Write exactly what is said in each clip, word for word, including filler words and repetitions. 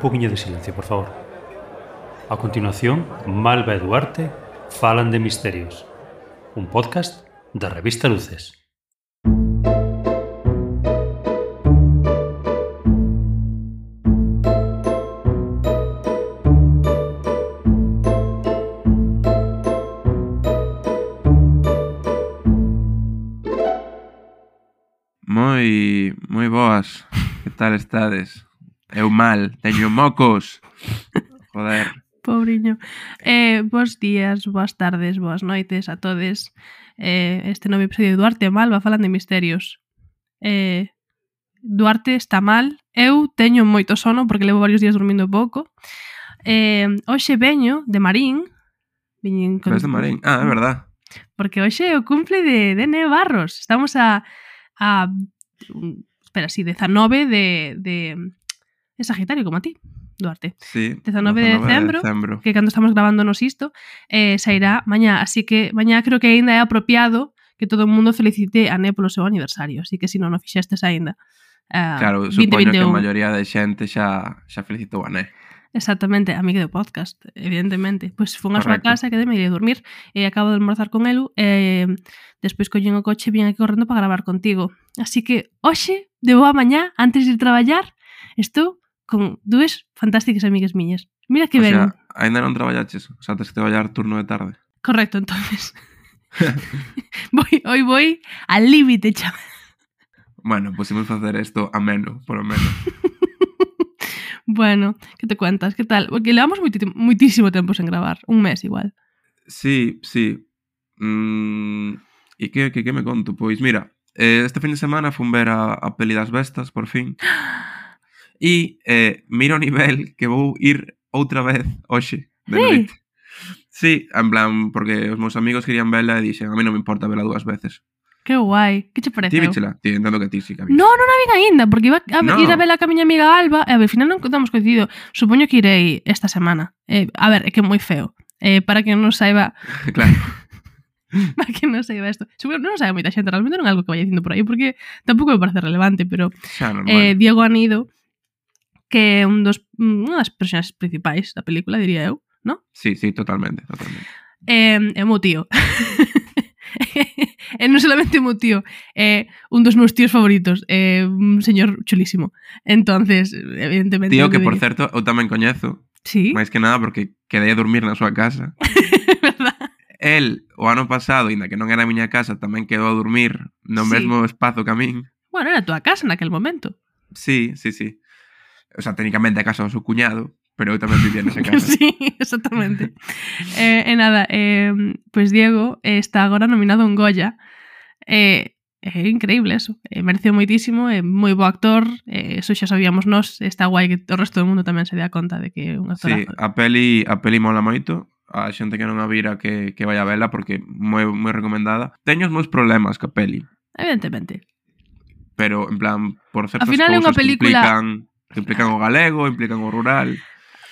poquinho de silencio, por favor. A continuación, Malva e Duarte falan de misterios. Un podcast da revista Luces. Moi, moi boas. Que tal estades? Eu mal, teño mocos. Joder. Pobriño. Eh, bos días, boas tardes, boas noites a todes. Eh, este novo episodio de Duarte e Malva falan de misterios. Eh, Duarte está mal. Eu teño moito sono porque levo varios días dormindo pouco. Eh, hoxe veño de Marín. Viñen con... Ves de Marín? Ah, é verdad. Porque hoxe é o cumple de, de Neo Barros. Estamos a... a espera, sí, dezanove de... de é Sagitario, como a ti, Duarte. Sí, dezanove de decembro, de que cando estamos grabándonos isto, eh, sairá mañá, así que mañá creo que ainda é apropiado que todo o mundo felicite a Né polo seu aniversario, así que se non o fixestes ainda. Uh, claro, supoño que a maioría de xente xa, xa felicitou a Né. Exactamente, amiga do podcast, evidentemente. Pois fun a súa casa, quedei me iré dormir e acabo de almorzar con elu e despois collín o coche e vin aquí correndo para gravar contigo. Así que hoxe, de boa mañá, antes de ir traballar, estou con dúas fantásticas amigas miñas. Mira que ben. O sea, ainda non traballaches? O sea, tens que traballar turno de tarde? Correcto, entonces. voy, hoy voy al límite, chaval. Bueno, pues imos facer isto ameno, por lo menos. Bueno, que te cuentas? Que tal? Porque levamos moitísimo tempo sen gravar. Un mes igual. Sí, sí. Mm, e que, que, que me conto? Pois mira, eh, este fin de semana fun ver a, a peli das bestas, por fin. E eh, miro o nivel que vou ir outra vez hoxe, de noite. Sí, en plan, porque os meus amigos querían vela e dixen, a mí non me importa vela dúas veces. Que guai, que che pareceu? Ti víchela? Ti, entendo que ti sí que a No, non a vin aínda, porque iba a no. ir a vela ca miña amiga Alba e ao final non contamos coincidido. Supoño que irei esta semana. Eh, a ver, é que é moi feo. Eh, para que non saiba... Claro. Para que non saiba isto. Supoño non saiba moita xente, realmente non é algo que vaya dicindo por aí, porque tampouco me parece relevante, pero eh, Diego Anido, que é un dos, unha das personaxes principais da película, diría eu, ¿no? Sí, sí, totalmente, totalmente. Eh, é o meu tío. E non solamente o meu tío, é un dos meus tíos favoritos, é un señor chulísimo. Entonces, evidentemente... Tío que, por certo, eu tamén coñezo. Sí. máis que nada porque quedei a dormir na súa casa. Verdad? El, o ano pasado, ainda que non era a miña casa, tamén quedou a dormir no sí. mesmo espazo que a min. Bueno, era a túa casa naquel momento. Sí, sí, sí. O sea, técnicamente a casa do seu cuñado, pero eu tamén vivía nesa casa. Sí, exactamente. eh, e nada, eh, pois pues Diego eh, está agora nominado a un Goya. Eh, é increíble eso. Eh, mereceu moitísimo, é moi bo actor, eh, eso xa sabíamos nós, está guai que o resto do mundo tamén se dea conta de que é un actorazo. Sí, a peli, a peli mola moito. A xente que non a vira que, que vai a vela porque moi, moi recomendada. Teño os meus problemas ca peli. Evidentemente. Pero, en plan, por certas cousas que película... implican, que implican o galego, implican o rural.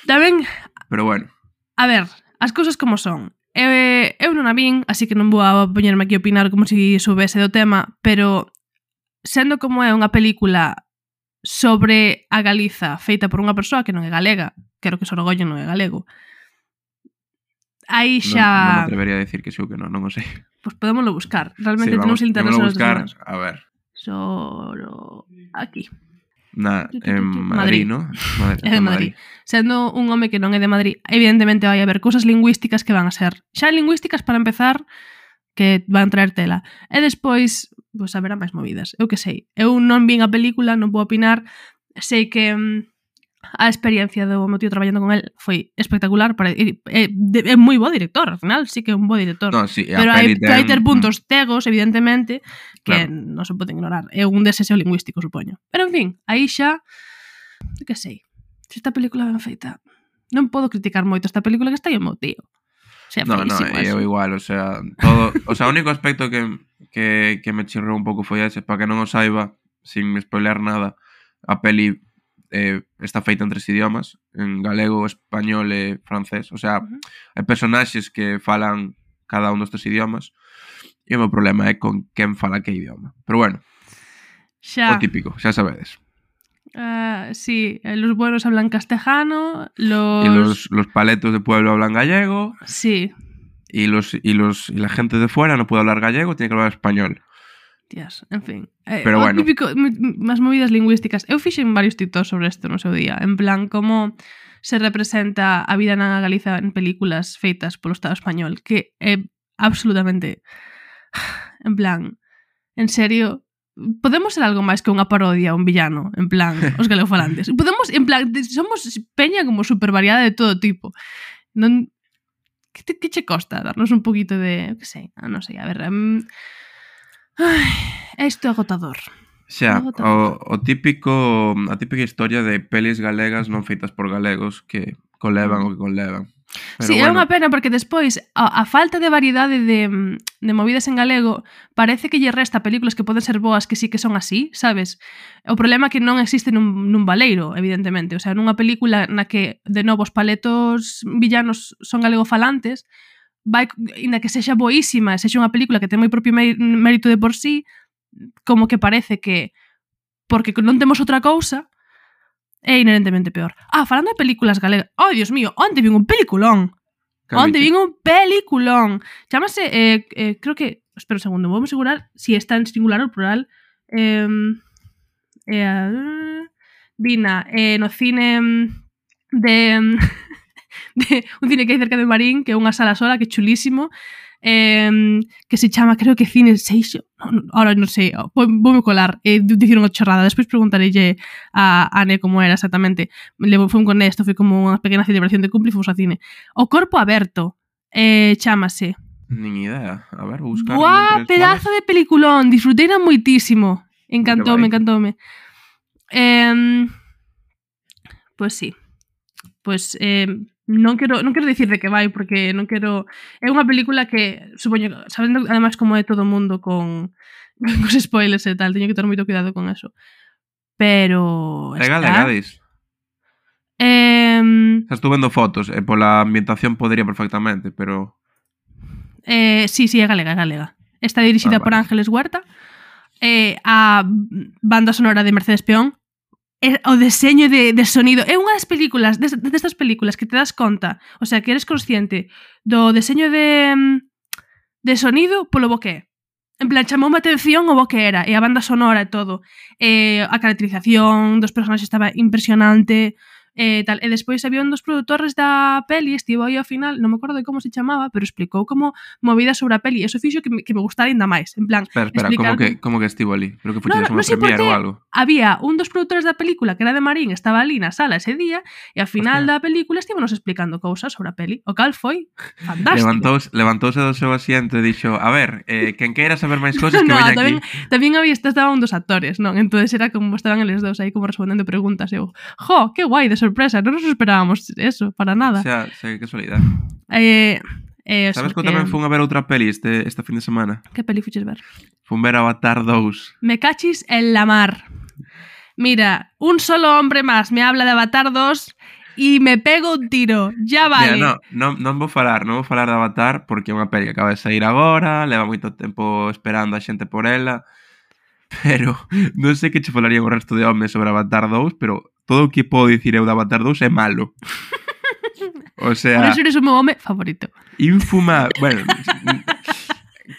Tamén... Pero bueno. A ver, as cousas como son. Eu, eu non a vin, así que non vou a poñerme aquí a opinar como se si soubese do tema, pero sendo como é unha película sobre a Galiza feita por unha persoa que non é galega, quero que Sorogoyen non é galego, aí xa... Non, non me atrevería a decir que sí ou que non, non o sei. Pois pues podémoslo buscar. Realmente sí, vamos, tenemos internet sobre buscar, a ver. Soro... aquí. Na, en Madrid, Madrid, ¿no? Madrid, é de Madrid. Madrid. Sendo un home que non é de Madrid, evidentemente vai haber cousas lingüísticas que van a ser xa lingüísticas para empezar, que van traer tela. E despois, pois, haberá máis movidas. Eu que sei. Eu non vin a película, non podo opinar. Sei que mm, a experiencia do meu tío traballando con el foi espectacular. Para, é, é, é moi bo director, ao final sí que é un bo director. No, sí, pero hai, ten... hai ter puntos cegos, evidentemente, que claro. non se poden ignorar. É un deseo lingüístico, supoño. Pero, en fin, aí xa... Que sei. Se esta película ben feita... Non podo criticar moito esta película que está aí o meu tío. O sea, no, no, eu igual, o sea, todo... O sea, o único aspecto que, que, que me chirrou un pouco foi ese, para que non o saiba, sin spoiler nada, a peli eh, está feita en tres idiomas, en galego, español e francés. O sea, uh-huh. hai personaxes que falan cada un dos tres idiomas, e o meu problema é con quen fala que idioma. Pero bueno, xa. O típico, xa sabedes. Uh, sí, eh, los buenos hablan castellano, los... Y los, los paletos de pueblo hablan gallego. Sí. Y, los, y, los, y la gente de fuera no puede hablar gallego, tiene que hablar español. Tías, en fin. Eh, Pero bueno. Típico, más movidas lingüísticas. Eu fixen varios TikToks sobre isto no seu día. En plan, como se representa a vida na Galiza en películas feitas polo Estado español, que é absolutamente... En plan, en serio... Podemos ser algo máis que unha parodia, un villano, en plan, os galegofalantes. Podemos, en plan, somos peña como super variada de todo tipo. Non... Que, te, que che costa darnos un poquito de... Que sei, non sei, a ver... Um... Ai, isto é agotador. Xa, o, o típico... A típica historia de pelis galegas non feitas por galegos que conlevan o que conlevan. Pero sí, bueno. É unha pena porque despois a, a falta de variedade de, de movidas en galego parece que lle resta películas que poden ser boas que sí que son así, sabes? O problema é que non existe nun, nun baleiro, evidentemente. O sea, nunha película na que de novo os paletos villanos son galegofalantes, vai, inda que sexa boísima, sexa unha película que ten moi propio mérito de por sí, como que parece que porque non temos outra cousa é inherentemente peor. Ah, falando de películas galegas... Oh, Dios mío, onte vin un peliculón. Onte vin un peliculón. Chámase, eh, eh, creo que... Espera un segundo, vamos a asegurar si está en singular ou plural. Eh, eh, vina eh, no cine de, de... Un cine que hai cerca de Marín, que é unha sala sola, que é chulísimo. Eh, que se chama, creo que Cine Seixo, no, no, ahora non sei, vou, voume colar, eh, dicir unha chorrada, despois preguntarelle a Ane como era exactamente. Levo, foi un con esto, foi como unha pequena celebración de cumple e fomos ao cine. O Corpo Aberto, eh, chámase. Nin idea, a ver, vou buscar. Buah, pedazo de peliculón, disfruteina moitísimo, encantoume, encantoume. Eh, pois pues sí, pois... Pues, eh, Non quero, non quero dicir de que vai porque non quero... É unha película que, supoño, sabendo ademais como é todo o mundo con os spoilers e tal, teño que ter moito cuidado con eso. Pero... É galega, dis? Eh... Estou vendo fotos e pola ambientación podría perfectamente, pero... Eh, sí, sí, é galega, é galega. Está dirixida ah, vale. por Ángeles Huerta. Eh, a banda sonora de Mercedes Peón. O deseño de, de sonido é unha das películas, destas películas que te das conta, o sea, que eres consciente do deseño de de sonido polo bo que é. En plan, chamou a atención o bo que era, e a banda sonora e todo. E a caracterización dos personaxes estaba impresionante, e tal. E despois había un dos produtores da peli, estivo aí ao final, non me acordo de como se chamaba, pero explicou como movida sobre a peli, e eso fixo que me, que me gustara ainda máis, en plan... Espera, espera, como que, como que estivo ali? Creo que foi no, no, unha no premiere ou algo. Había un dos produtores da película que era de Marín, estaba ali na sala ese día, e ao final Hostia. da película estívonos explicando cousas sobre a peli, o cal foi fantástico. Levantouse, levantouse do seu asiento e dixo, a ver, eh, quen queira saber máis cousas que no, veña tamén, aquí. Tamén había, estaba un dos actores, non? Entonces era como estaban eles dous aí como respondendo preguntas, e eu, jo, que guai, de sorpresa, non nos esperábamos eso, para nada. O sea, sei que casualidade. Eh, eh, Sabes que eu tamén fun a ver outra peli este, este fin de semana? Que peli fuches ver? Fun ver Avatar dous. Me cachis en la mar. Mira, un solo hombre más me habla de Avatar dos e me pego un tiro. Ya vale. Mira, no, non, non vou falar, non vou falar de Avatar porque é unha peli que acaba de sair agora, leva moito tempo esperando a xente por ela, pero non sei que che falaría o resto de homes sobre Avatar dous, pero todo o que podo dicir eu de Avatar dous é malo. O sea... Por eso eres o meu home favorito. Infuma... Bueno,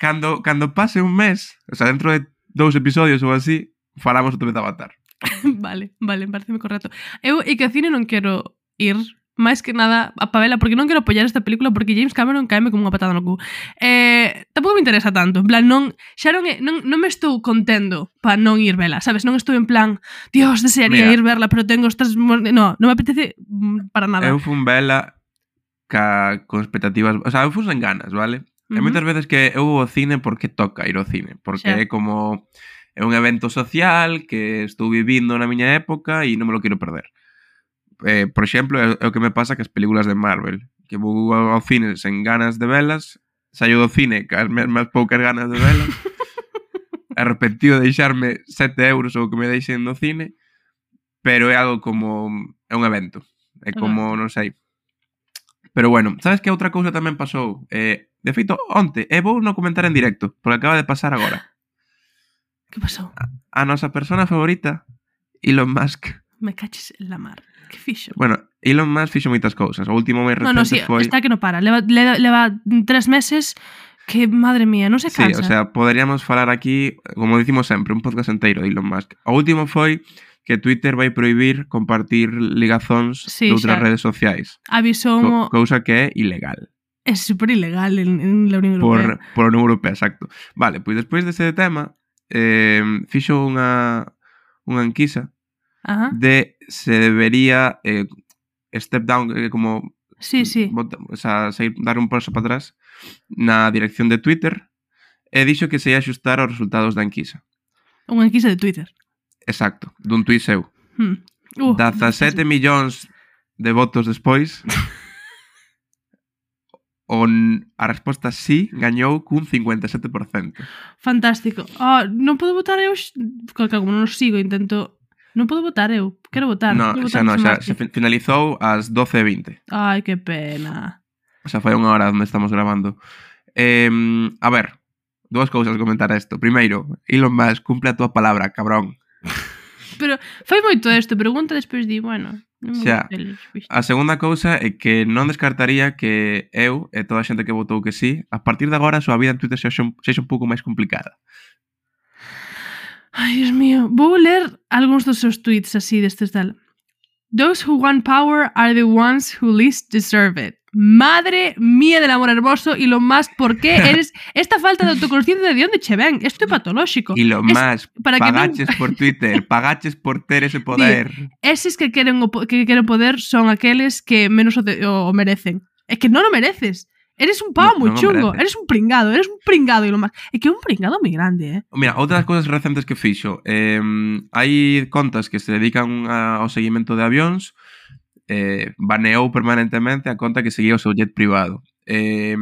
cando, cando pase un mes, o sea, dentro de dous episodios ou así, falamos outra vez de Avatar. Vale, vale, pareceme correcto. Eu e que ao cine non quero ir... máis que nada a pavela, porque non quero apoiar esta película porque James Cameron caeme como unha patada no cu. Eh, tampouco me interesa tanto, en plan, non xa non, é, non, non me estou contendo para non ir vela, sabes? Non estou en plan, Dios, desearía Mira, ir verla, pero tengo estas... No, non me apetece para nada. Eu fun vela ca, con expectativas... O sea, eu fun sen ganas, vale? Uh-huh. E moitas veces que eu vou ao cine porque toca ir ao cine, porque xa. é como... É un evento social que estou vivindo na miña época e non me lo quero perder. Eh, por exemplo, é, é o que me pasa que as películas de Marvel, que vou ao cine sen ganas de velas, saio do cine cas mesmas poucas ganas de velas, arrepentido de deixarme sete euros ou que me deixen no cine, pero é algo como... é un evento, é como, non sei. Pero bueno, sabes que outra cousa tamén pasou? Eh, de feito, onte, e vou non comentar en directo, porque acaba de pasar agora. Que pasou? A, a nosa persona favorita, Elon Musk, Me caches en la mar. Que fixo? Bueno, Elon Musk fixo moitas cousas. O último máis No, recente no, sí, foi... está que no para. Leva, leva, leva tres meses que, madre mía, non se Sí, cansa. o sea, poderíamos falar aquí, como dicimos sempre, un podcast inteiro de Elon Musk. O último foi que Twitter vai prohibir compartir ligazóns Sí, de outras xa. redes sociais. Avisou Co mo... cousa que é ilegal. É super ilegal en, en la Unión Europea. Por, por a Unión Europea, exacto. Vale, pois despois dese tema, eh, fixo unha, unha enquisa Ajá. de se debería eh, step down, eh, como Sí, sí. bota, o sea, seguir, dar un paso para atrás na dirección de Twitter e dixo que se ia axustar aos resultados da enquisa. Unha enquisa de Twitter. Exacto, dun tuit seu. Hmm. Uh, dezasete millóns de votos despois, on a resposta sí gañou cun cincuenta e sete por cento. Fantástico. Oh, non podo votar eu... Como non os sigo, intento... Non podo votar eu. Quero votar. No, Quero xa votar no, en xa, Marte. se fi- finalizou ás doce e vinte. Ai, que pena. O sea, foi unha hora onde estamos grabando. Eh, a ver, dúas cousas a comentar a isto. Primeiro, Elon Musk, cumple a tua palabra, cabrón. Pero fai moito isto. Pregunta despois di, bueno... non me Xa. gusta el, viste. A segunda cousa é que non descartaría que eu e toda a xente que votou que sí, a partir de agora a súa vida en Twitter sexa un, sexa un pouco máis complicada. Ai, Dios mío. Vou ler algúns dos seus tweets así destes tal. Those who want power are the ones who least deserve it. Madre mía del amor hermoso, Elon Musk, ¿por qué eres esta falta de autoconsciencia de onde che ven? Isto é patolóxico. Elon Es Musk, para que non- pagaches por Twitter, pagaches por ter ese poder. Eses que queren o, po- que queren poder son aqueles que menos o, de, o, o merecen. É que non o mereces. Eres un pavo No, moi non o chungo. mereces. Eres un pringado. Eres un pringado, Elon Musk. É que é un pringado moi grande, eh? Mira, outras cousas recentes que fixo. Eh, hai contas que se dedican a, ao seguimento de avións. Eh, baneou permanentemente a conta que seguía o seu jet privado. Eh,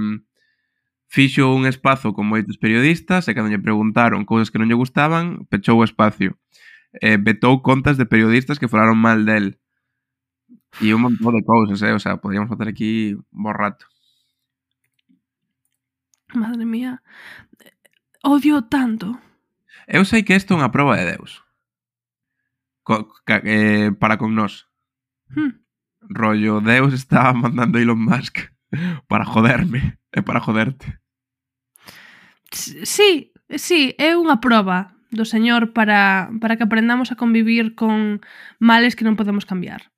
fixo un espazo con moitos periodistas e cando lle preguntaron cousas que non lle gustaban, pechou o espacio. Eh, vetou contas de periodistas que falaron mal del. E un montón de cousas, eh? O sea, podríamos facer aquí un bo rato. Madre mía. Odio tanto. Eu sei que isto é unha proba de Deus. Co, ca, eh, para con nós. Hmm. Rollo, Deus está mandando a Elon Musk para joderme e para joderte. Sí, sí, é unha proba do Señor para, para que aprendamos a convivir con males que non podemos cambiar.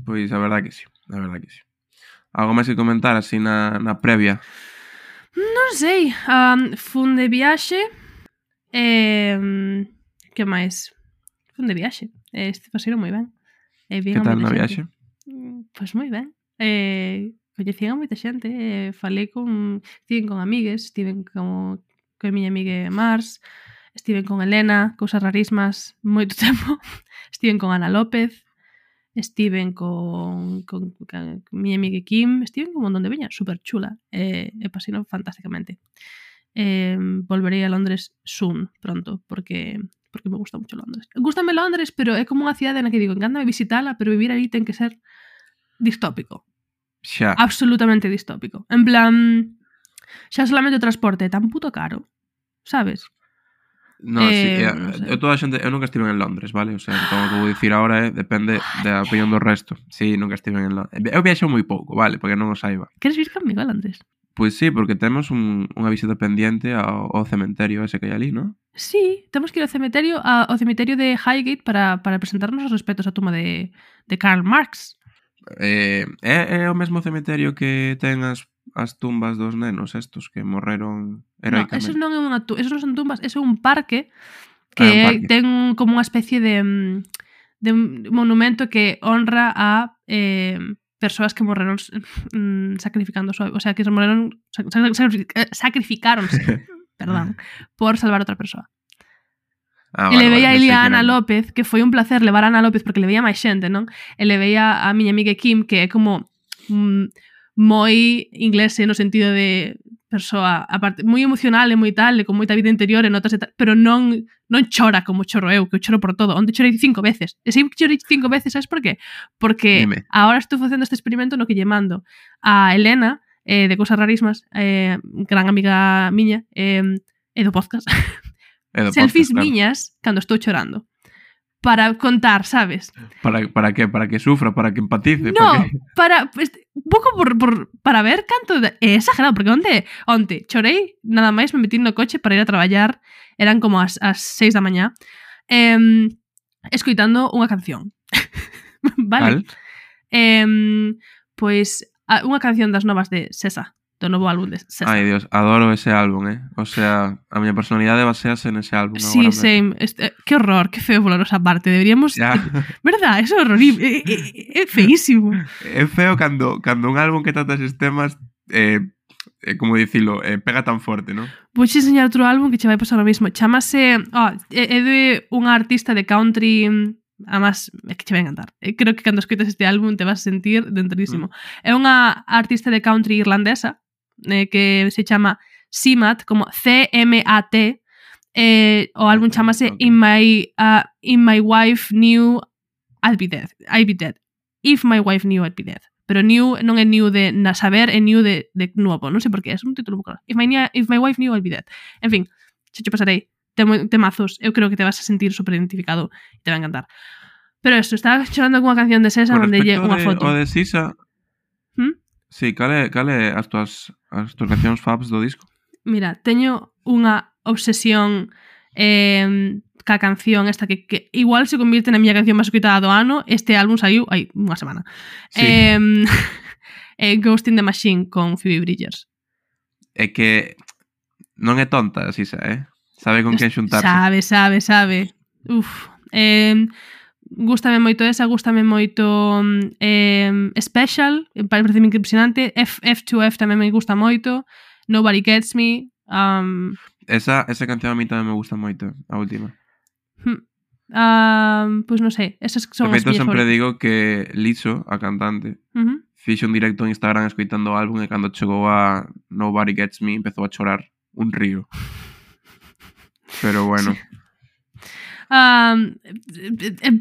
Pois a verdade que sí, a verdade que sí. Algo máis que comentar así na, na previa? Non sei, um, fun de viaxe e... Um, que máis? Fun de viaxe, este paseiro moi ben. E Que tal na viaxe? Pois pues moi ben. Eh, coñecían a moita xente, eh, falei con... Estiven con amigues, estiven con, con a miña amiga Mars, estiven con Elena, cousas rarísimas, moito tempo. Estiven con Ana López, estiven con, con, con, con miña amiga Kim, estiven con un montón de veña, super chula, e, e pasino fantásticamente. Eh, volverei a Londres soon, pronto, porque... porque me gusta mucho Londres. Gústame Londres, pero é como unha cidade na que digo, encántame visitala, pero vivir aí ten que ser distópico. Xa. Absolutamente distópico. En plan, xa solamente o transporte é tan puto caro, sabes? No, Eh, sí, eh, non sei. eu toda a xente, eu nunca estive en Londres, vale? O sea, como que vou dicir agora, eh, depende da opinión do resto. Sí, nunca estive en Londres. Eu viaxo moi pouco, vale? Porque non o saiba. Queres vir comigo a Londres? Pois sí, porque temos un, unha visita pendiente ao, ao cementerio ese que hai ali, non? Sí, temos que ir ao cemiterio, a, ao cemiterio de Highgate para, para presentarnos os respetos á tumba de, de Karl Marx. Eh, é, é o mesmo cementerio que ten as, as tumbas dos nenos estos que morreron No, heroicamente. esos non é unha tu, esos non son tumbas, eso é un parque Ah, que é un parque. ten como unha especie de mm, de un monumento que honra a eh, persoas que morreron mm, sacrificando a súa, o sea, que se morreron sac, sac, sac, sacrificáronse, perdón, por salvar a outra persoa. Ah, E vale, le veía vale, ali pensei a que Ana era- López, que foi un placer levar a Ana López porque le veía máis xente, non? E le veía a miña amiga Kim, que é como mm, moi inglese no sentido de persoa, aparte, moi emocional e moi tal, e con moita vida interior e notas e tal, pero non non chora como choro eu, que eu choro por todo. Onde chorei cinco veces. E se chorei cinco veces, sabes por qué? Porque Dime. agora estou facendo este experimento no que lle mando a Elena, eh, de Cousas Rarísimas, eh, gran amiga miña, eh, e do podcast, É do selfies podcast, claro. miñas cando estou chorando. para contar, sabes? Para, para que para que sufra, para que empatice, No, para que... para pues, un pouco por, por, para ver canto de... É exagerado, porque onte, onte chorei, nada máis me metí no coche para ir a traballar, eran como as, as seis da mañá, eh, escoitando unha canción. Vale? Cal? Eh, pois, a- unha canción das novas de Sesa, do novo álbum de Sesa. Ai, Dios, adoro ese álbum, eh. O sea, a miña personalidade basease nese álbum Sí, agora mesmo. same. Este, que horror, que feo pola nosa parte. Deberíamos... Ya. Verdad, eso é horrible. É, é, é feísimo. É feo cando, cando un álbum que trata eses temas eh, eh, como dicilo, eh, pega tan forte, non? Vou che enseñar outro álbum que che vai pasar o mismo. Chámase... Oh, é, é de unha artista de country... Además, é que che vai encantar. Eh, Creo que cando escoitas este álbum te vas a sentir dentrísimo. Mm. É unha artista de country irlandesa eh, que se chama Simat, como C M A T. Eh, o álbum chamase Okay. In My uh, In My Wife Knew I'd Be Dead. I'd Be Dead. If My Wife Knew I'd Be Dead. Pero new non é new de na saber, é new de, de nuevo. Non sei por qué, é un título bucal. If my, if my Wife Knew I'd Be Dead. En fin, xe che pasarei Tem, temazos. Eu creo que te vas a sentir super identificado e te va a encantar. Pero eso, estaba chorando con unha canción de Sesa Con onde lle respecto unha de, foto. o de Sisa, ¿Mm? sí, cale, cale as tuas, as tuas cancións faves do disco? Mira, teño unha obsesión eh, ca canción esta que, que igual se convirte na miña canción máis escoitada do ano. Este álbum saiu hai unha semana. Sí. Eh, eh, Ghost in the Machine con Phoebe Bridgers. É que non é tonta, Sisa, eh? Sabe con quen xuntarse. Sabe, sabe, sabe. Uf. Eh, gústame moito esa, gústame moito eh, Special, parece impresionante. F, F2F tamén me gusta moito. Nobody Gets Me. Um, Esa, esa canción a mí tamén me gusta moito, a última. um, pois pues non sei, esas son De as feito, miñas sempre favoritas. digo que Liso, a cantante, Uh-huh. fixo un directo en Instagram escoitando o álbum e cando chegou a Nobody Gets Me empezou a chorar un río. Pero bueno. Sí. Um, é, é, é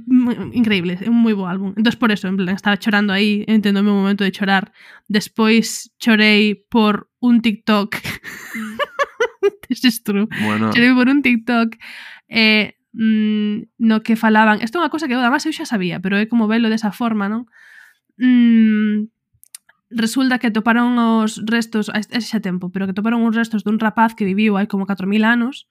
increíble, é un moi bo álbum. Entón por eso, en plan, estaba chorando aí, entendo o meu momento de chorar. Despois chorei por un TikTok. This is true. Bueno, Chorei por un TikTok eh, mm, no que falaban. Isto é unha cosa que eu, además, eu xa sabía, pero é como velo desa forma, non? Mm, resulta que toparon os restos, ese xa tempo, pero que toparon os restos dun rapaz que viviu hai como catro mil anos,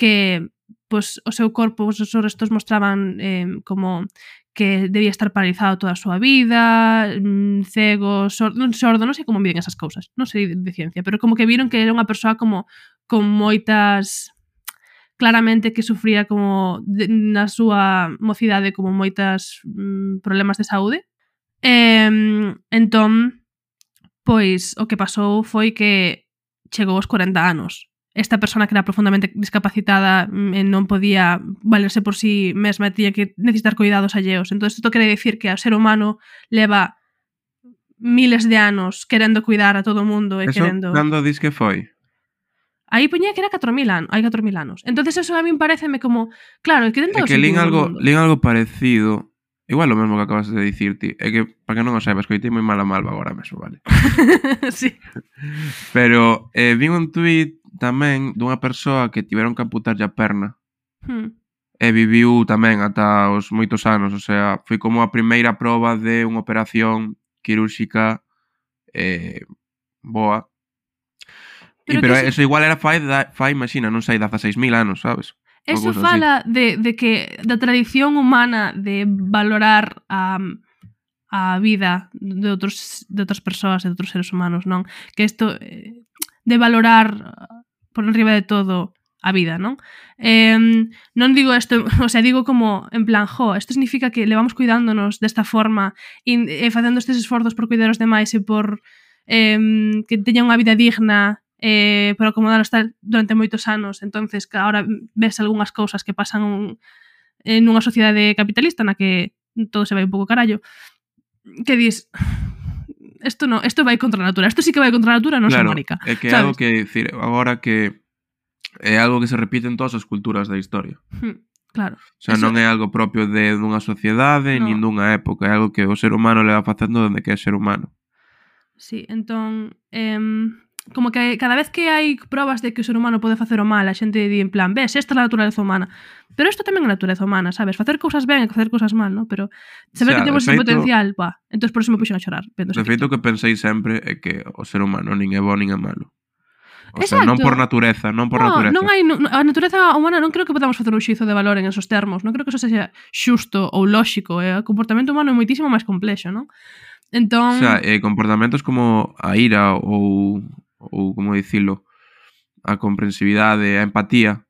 que pois, o seu corpo, os seus restos mostraban eh, como que debía estar paralizado toda a súa vida, mm, cego, sordo, non sordo, non sei como miden esas cousas, non sei de, de ciencia, pero como que viron que era unha persoa como con moitas, claramente que sufría como de, na súa mocidade como moitas mm, problemas de saúde. Eh, entón, pois o que pasou foi que chegou aos corenta anos. Esta persona que era profundamente discapacitada e non podía valerse por sí mesma e tiña que necesitar cuidados alleos. Entón, isto quere dicir que o ser humano leva miles de anos querendo cuidar a todo o mundo e eso querendo... cando dis que foi? Aí poñía que era catro mil anos, hai catro mil anos. Entonces eso a min pareceme como, claro, é que É dentro que lín algo, lín algo parecido. Igual o mesmo que acabas de dicir ti. É que, para que non o saibas, coitei moi mal a malva agora mesmo, vale? sí. Pero eh, vi un tuit tamén dunha persoa que tiveron que amputarlle a perna Hmm. e viviu tamén ata os moitos anos, o sea, foi como a primeira proba de unha operación quirúrxica eh, boa. Pero E, pero que eso igual era fai, da, fai imagina, non sei, dezaseis mil anos, sabes? Ou Eso cousa fala de, de que da tradición humana de valorar a, a vida de outros de outras persoas, de outros seres humanos, non? Que isto eh, de valorar por enriba de todo a vida, non? Eh, non digo isto, o sea, digo como en plan, jo, isto significa que levamos cuidándonos desta forma e, e facendo estes esforzos por cuidar os demais e por eh, que teñan unha vida digna eh, por acomodaros tal durante moitos anos. Entonces, que agora ves algunhas cousas que pasan un, en unha sociedade capitalista na que todo se vai un pouco carallo, que dis, isto no, isto vai contra a natura, isto sí que vai contra a natura, non claro, se marica. é que é sabes? algo que decir agora que é algo que se repite en todas as culturas da historia. Hmm, claro. O sea, Eso... non é algo propio de dunha sociedade, no. nin dunha época, é algo que o ser humano leva facendo dende que é ser humano. Sí, entón, eh, como que cada vez que hai probas de que o ser humano pode facer o mal, a xente di en plan, ves, esta é a naturaleza humana. Pero isto tamén é a naturaleza humana, sabes? Facer cousas ben e facer cousas mal, ¿no? Pero saber O sea, que temos de ese feito- potencial, pá. Entón por eso me puxen a chorar. vendo ese De feito, o TikTok. que pensei sempre é que o ser humano nin é bo nin é malo. O sea, Exacto. non por natureza, non por No, natureza. non hai, non, a natureza humana non creo que podamos facer un xizo de valor en esos termos. Non creo que eso sexa xusto ou lóxico. Eh? O comportamento humano é moitísimo máis complexo, non? Entón... O sea, eh, comportamentos como a ira ou, ou como dicilo, a comprensividade, a empatía,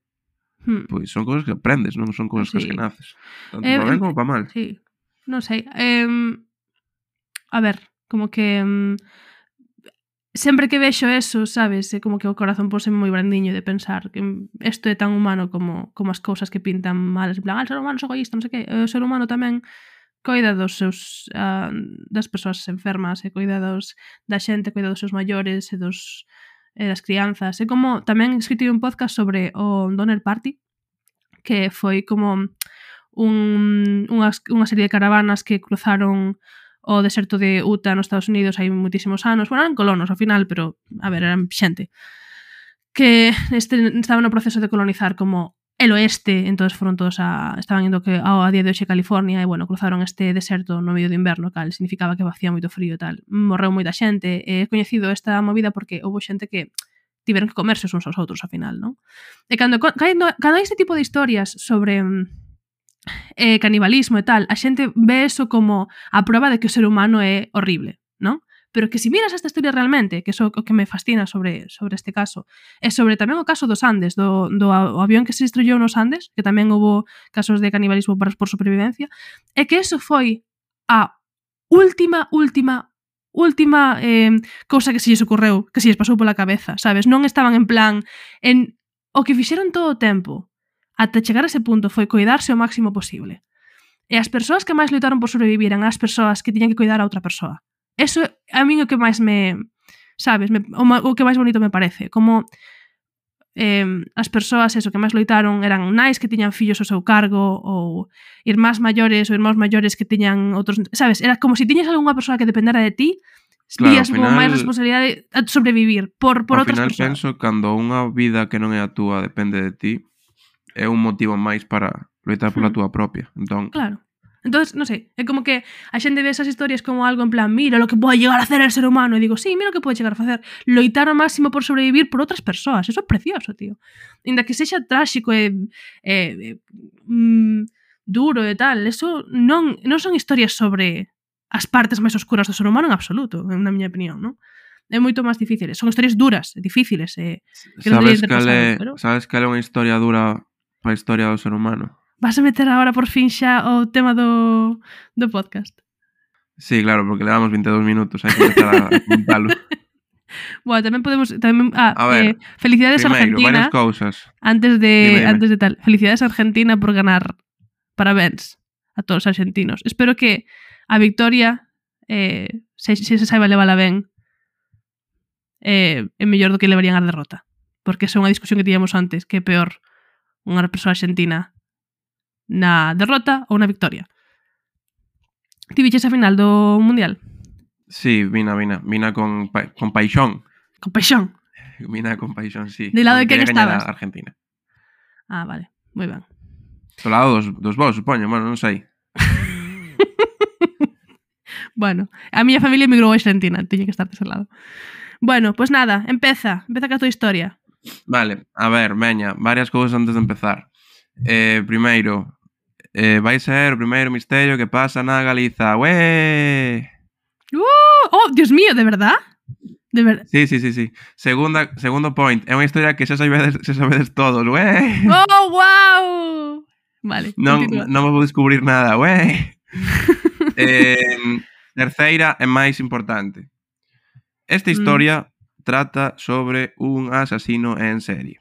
hmm. pois son cousas que aprendes, non son cousas Sí. que naces. Tanto Eh, para ben em- como para mal. Sí, non sei. Eh, a ver, como que... mm, sempre que vexo eso, sabes? É como que o corazón pose moi brandiño de pensar que isto é tan humano como, como as cousas que pintan malas. En plan, ah, o ser humano é egoísta, non sei que. O ser humano tamén coida dos seus uh, das persoas enfermas e coida dos, da xente, coida dos seus maiores e dos e das crianzas. É como tamén escrito un podcast sobre o Donner Party, que foi como un, unhas, unha serie de caravanas que cruzaron o deserto de Utah nos Estados Unidos hai moitísimos anos. Bueno, eran colonos ao final, pero, a ver, eran xente que este, estaban no proceso de colonizar como el oeste, entonces foron todos a... estaban indo que ao a día de hoxe California e, bueno, cruzaron este deserto no medio de inverno, cal significaba que facía moito frío e tal. Morreu moita xente. He coñecido esta movida porque houve xente que tiveron que comerse uns aos outros, ao final, non? E cando, cando, cando hai este tipo de historias sobre eh, canibalismo e tal, a xente ve eso como a prova de que o ser humano é horrible, non? Pero que se miras esta historia realmente, que é o que me fascina sobre, sobre este caso, é sobre tamén o caso dos Andes, do, do o avión que se estrellou nos Andes, que tamén houve casos de canibalismo por, por supervivencia, é que eso foi a última, última, última eh, cousa que se lles ocorreu, que se lles pasou pola cabeza, sabes? Non estaban en plan... en o que fixeron todo o tempo ata chegar a ese punto foi coidarse o máximo posible. E as persoas que máis loitaron por sobrevivir eran as persoas que tiñan que coidar a outra persoa. Eso a min o que máis me... Sabes? Me, o, o que máis bonito me parece. Como eh, as persoas eso, que máis loitaron eran nais que tiñan fillos ao seu cargo ou irmás maiores ou irmãos maiores que tiñan outros... Sabes? Era como se si tiñas algunha persoa que dependera de ti, Claro, vías como final- máis responsabilidade a sobrevivir por, por Ao outras final persoas. penso cando unha vida que non é a túa depende de ti, é un motivo máis para loitar pola Hmm. túa propia. Entón, Claro. Entonces, non sei, é como que a xente ve esas historias como algo en plan, mira lo que pode llegar a hacer el ser humano, e digo, sí, mira o que pode chegar a facer, loitar ao máximo por sobrevivir por outras persoas, eso é precioso, tío. Inda que sexa tráxico e, e, e mm, duro e tal, eso non, non son historias sobre as partes máis oscuras do ser humano en absoluto, na miña opinión, non? É moito máis difíciles, son historias duras, difíciles, e que non sabes deberían ter cal pasado, é, pero... sabes cal é unha historia dura para a historia do ser humano? Vas a meter agora por fin xa o tema do, do podcast? Sí, claro, porque levamos veintidós minutos, hai que empezar a contalo. Bueno, tamén podemos tamén ah, A ver, eh, felicidades a Primeiro, Argentina varias cousas. antes de Dime, dime. antes de tal. Felicidades a Argentina por ganar. Parabéns a todos os argentinos. Espero que a victoria eh, se, se se saiba levala ben eh, é mellor do que levarían a derrota. Porque esa é unha discusión que tiñamos antes, que é peor unha persoa argentina na derrota ou na victoria. Ti viches a final do Mundial? Sí, vina, vina, vina con, pa con paixón. Con paixón. Vina con paixón, sí. De lado de Porque quen quería gañar estabas? a Argentina. Ah, vale. Moi ben. Do lado dos, dos vos, supoño, bueno, non sei. Bueno, a miña familia emigrou a Argentina, tiña que estar dese lado. Bueno, pois pues nada, empeza, empeza ca tua historia. Vale, a ver, veña, varias cousas antes de empezar. Eh, primeiro, eh, vai ser o primeiro misterio que pasa na Galiza. Ué! Uh, oh, Dios mío, de verdad? De verdad. Sí, sí, sí, sí. Segunda, segundo point, é unha historia que xa sabedes, xa sabedes todos. Ué! Oh, wow. Vale, Non, continúa. non me vou descubrir nada. Ué! eh, terceira e máis importante. Esta Mm. historia trata sobre un asasino en serie.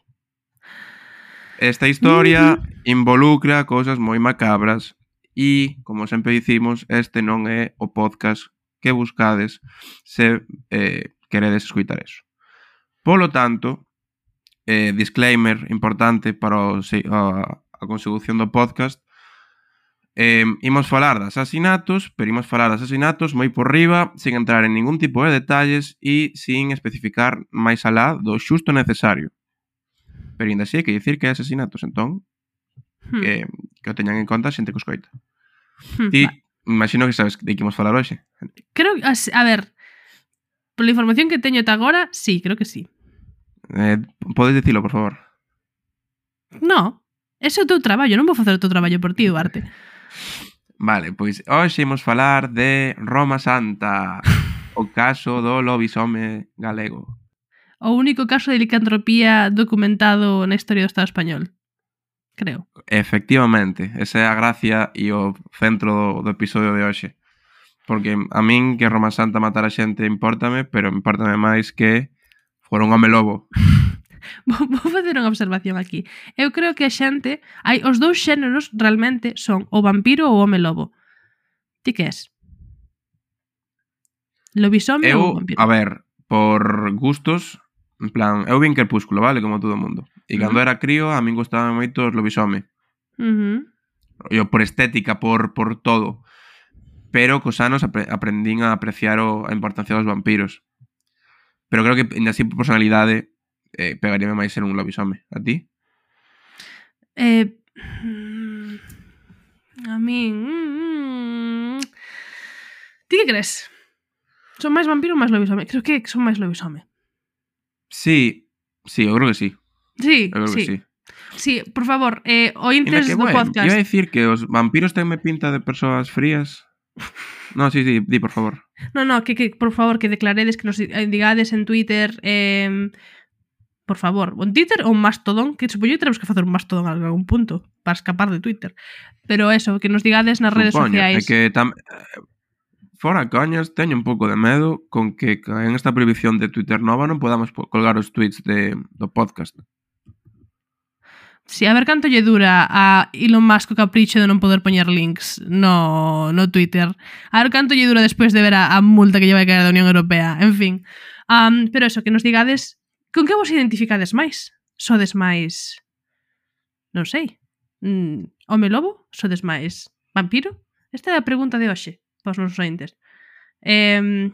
Esta historia involucra cousas moi macabras e, como sempre dicimos, este non é o podcast que buscades se eh, queredes escutar eso. Polo tanto, eh, disclaimer importante para o, se, a, a consecución do podcast, eh, imos falar de asasinatos, pero imos falar de asasinatos moi por riba, sin entrar en ningún tipo de detalles e sin especificar máis alá do xusto necesario. Pero ainda así hai que dicir que hai asasinatos, entón, Hmm. que, que o teñan en conta a xente que os coita. Hmm, Ti, va. imagino que sabes de que imos falar hoxe. Creo que, as- a ver, pola información que teño ata agora, sí, creo que sí. Eh, podes dicilo, por favor? No, ese é o teu traballo, non vou facer o teu traballo por ti, Duarte. Vale, pois hoxe imos falar de Roma Santa, o caso do lobisome galego. O único caso de licantropía documentado na historia do Estado español. Creo. Efectivamente, esa é a gracia e o centro do, do episodio de hoxe. Porque a min que Roma Santa matara xente impórtame, pero impórtame máis que fora un home lobo. Vou, vou facer unha observación aquí. Eu creo que a xente... Hai, os dous xéneros realmente son o vampiro ou o home lobo. Ti que és? Lobisome ou Eu, vampiro? a ver, por gustos, en plan, eu vin Crepúsculo, vale, como todo o mundo. E cando Ujú. era crío, a min gustaba moito os lobisome. Uh -huh. Eu por estética, por, por todo. Pero cos anos apre aprendín a apreciar o, a importancia dos vampiros. Pero creo que, ainda así, por personalidade, eh, pegaríame máis ser un lobisome. A ti? Eh, mm, a min... Mm, ti que crees? Son máis vampiro ou máis lobisome? Creo que son máis lobisome. Sí, sí, eu creo que sí. Sí, Eu creo sí. que sí. Sí, por favor, eh, Inda ointes que, do bueno, podcast. iba a dicir que os vampiros tenme pinta de persoas frías. No, sí, sí, di, por favor. No, no, que, que por favor, que declaredes, que nos digades en Twitter, eh, por favor, un Twitter ou un Mastodon, que supoño que tenemos que facer un Mastodon a algún punto para escapar de Twitter. Pero eso, que nos digades nas redes Supoño, é sociais. que tam... fora coñas, teño un pouco de medo con que en esta prohibición de Twitter nova non podamos colgar os tweets de, do podcast. Si, sí, a ver canto lle dura a Elon Musk o capricho de non poder poñer links no, no Twitter. A ver canto lle dura despois de ver a, a multa que lle vai caer da Unión Europea. En fin. Um, pero eso, que nos digades con que vos identificades máis? Sodes máis... Non sei. Mm, home lobo? Sodes máis vampiro? Esta é a pregunta de hoxe para os nosos ointes. Eh,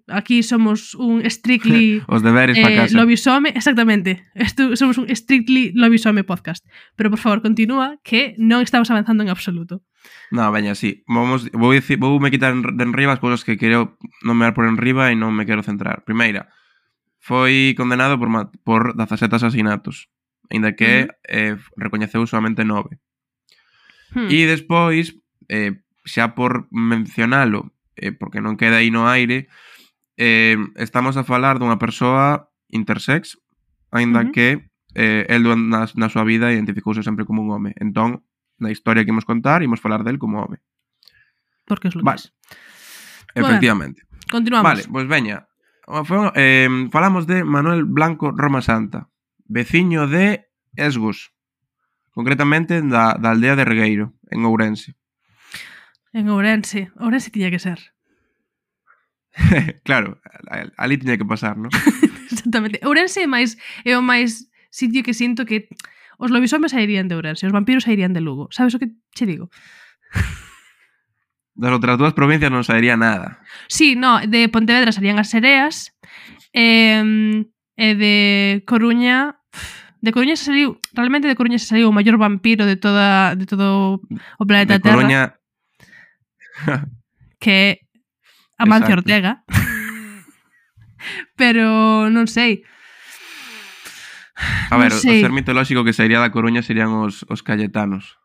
aquí somos un strictly os deberes eh, para casa. lobisome, exactamente. Esto, somos un strictly lobisome podcast. Pero por favor, continúa que non estamos avanzando en absoluto. No, veña, sí. Vamos, vou, dicir, vou me quitar de enriba as cousas que quero nomear por enriba e non me quero centrar. Primeira, foi condenado por, por dezasete asasinatos, ainda que uh -huh. eh, recoñeceu solamente nove. Hmm. E despois, eh, xa por mencionalo, eh, porque non queda aí no aire, eh, estamos a falar dunha persoa intersex, aínda uh -huh. que eh, el na, na súa vida identificouse sempre como un home. Entón, na historia que imos contar, imos falar del como home. Porque es lo vale. que es. Efectivamente. Bueno, continuamos. Vale, pois pues veña. Foi, eh, falamos de Manuel Blanco Roma Santa, veciño de Esgos, concretamente da, da aldea de Regueiro, en Ourense. En Ourense. Ourense tiña que ser. Claro, ali tiña que pasar, non? Exactamente. Ourense é máis é o máis sitio que sinto que os lobisomes sairían de Ourense, os vampiros sairían de Lugo. Sabes o que che digo? Das outras dúas provincias non sairía nada. Sí, no, de Pontevedra salían as sereas, e, e de Coruña... De Coruña se saliu, realmente de Coruña se saliu o maior vampiro de toda de todo o planeta de Terra. Coruña... que é Amancio Exacto. Ortega. Pero non sei. A ver, non o sei. ser mitolóxico que sairía da Coruña serían os, os cayetanos.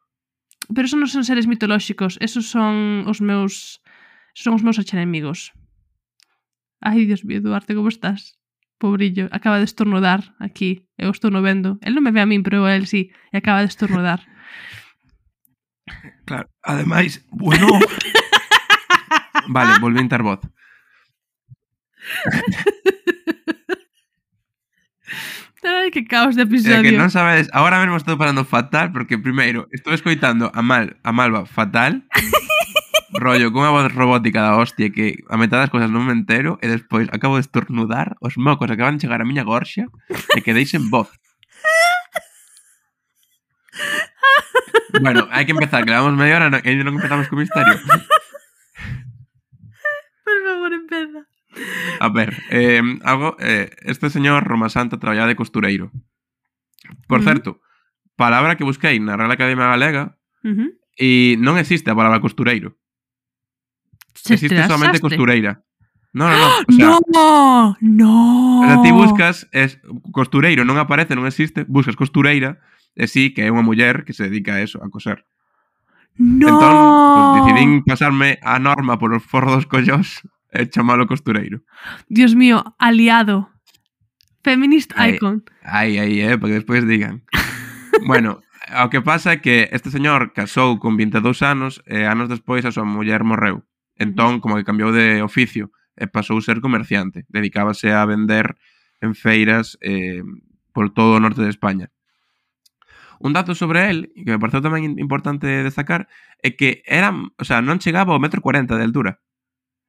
Pero esos non son seres mitolóxicos, esos son os meus esos son os meus archenemigos. Ai, Dios mío, Duarte, como estás? Pobrillo, acaba de estornudar aquí. Eu estou no vendo. El non me ve a min, pero el sí. E acaba de estornudar. Claro, ademais, bueno... Vale, volví a entrar voz. Ai, que caos de É episodio. que non sabedes, agora mesmo estou parando fatal porque primeiro estou escoitando a Mal, a Malva fatal. Rollo, con unha voz robótica da hostia que a metade das cosas non me entero e despois acabo de estornudar, os mocos acaban de chegar a miña gorxa e quedei sen voz. Bueno, hai que empezar, que levamos media hora e non empezamos co misterio. Por favor, empeza. A ver, eh, algo, eh, este señor Roma Santa traballaba de costureiro. Por Mm. certo, palabra que busquei na Real Academia Galega Uh-huh. e non existe a palabra costureiro. Se Existe te solamente asaste. costureira. No, no, no. O sea, No, no. o sea, ti buscas, es, costureiro non aparece, non existe, buscas costureira, e sí que é unha muller que se dedica a eso, a coser. No. Entón, pues, decidín pasarme a norma por os forros dos collós e chamalo costureiro. Dios mío, aliado. Feminist Ai, icon. Aí, aí, eh, para que despois digan. Bueno, o que pasa é que este señor casou con vinte e dous anos e anos despois a súa muller morreu. Entón, como que cambiou de oficio e pasou a ser comerciante. Dedicábase a vender en feiras eh, por todo o norte de España. Un dato sobre él, que me pareceu tamén importante destacar, é que era, o sea, non chegaba ao metro cuarenta de altura.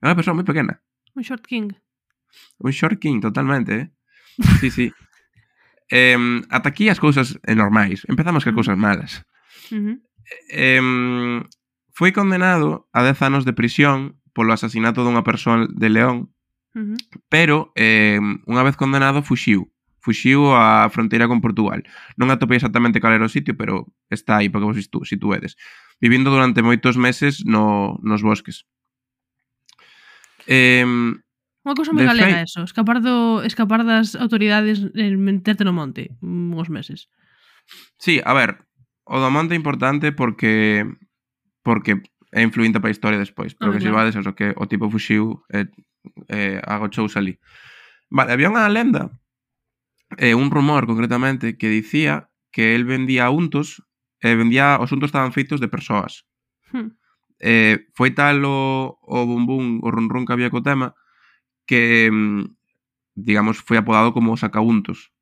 Era unha persoa moi pequena. Un short king. Un short king, totalmente, eh? Sí, sí. Eh, ata aquí as cousas normais. Empezamos con cousas malas. Uh-huh. Eh, foi condenado a dez anos de prisión polo asasinato dunha persoa de León, Uh-huh. pero eh, unha vez condenado fuxiu. Fuxiu á fronteira con Portugal. Non atopei exactamente cal era o sitio, pero está aí para que vos situ situedes. Vivindo durante moitos meses no, nos bosques. Eh, Unha cousa moi De galega fei- eso, escapar do escapar das autoridades e meterte no monte uns meses. sí, a ver, o do monte é importante porque porque é influinte para a historia despois, pero Ah, que se claro. vades eso, que o tipo fuxiu e eh, agochouse ali. Vale, había unha lenda, eh, un rumor concretamente, que dicía que el vendía untos e vendía, os untos estaban feitos de persoas. Hmm. Eh, foi tal o, o bum bum, o run run que había co tema, que, mm, digamos, foi apodado como o sacauntos.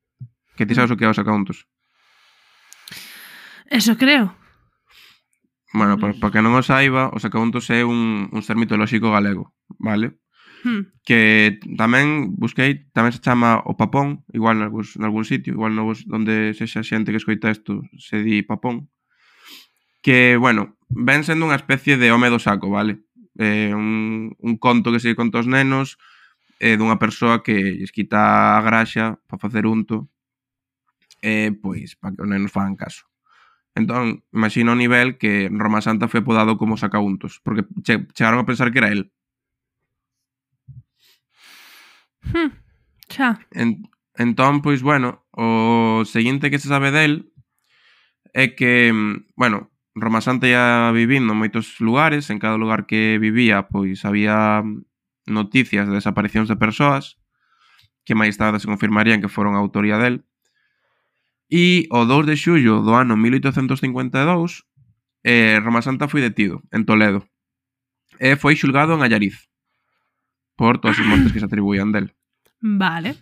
Que ti sabes o que é o sacauntos? Eso creo. Bueno, para pa que non o saiba, o sacauntos é un, un ser mitolóxico galego, vale? Hmm. Que tamén busquei, tamén se chama o papón, igual nalgún, nalgún sitio, igual no vos, onde sexa xente que escoita isto se di papón. Que, bueno, ven sendo unha especie de home do saco, vale? Eh, un, un conto que se conta aos nenos eh, dunha persoa que lles quita a graxa para facer unto e, pois, para que os nenos fagan caso. Entón, imagina o nivel que Roma Santa foi apodado como sacauntos, porque che, chegaron a pensar que era el. Hmm. Xa. En, entón, pois, bueno, o seguinte que se sabe del é que, bueno, Roma Santa ia vivindo en moitos lugares, en cada lugar que vivía, pois, había noticias de desaparicións de persoas que máis tarde se confirmarían que foron a autoría del. E o dous de xullo do ano mil oitocentos cincuenta e dous, eh, Roma Santa foi detido en Toledo e foi xulgado en Allariz por todas as mortes que se atribuían del. Vale.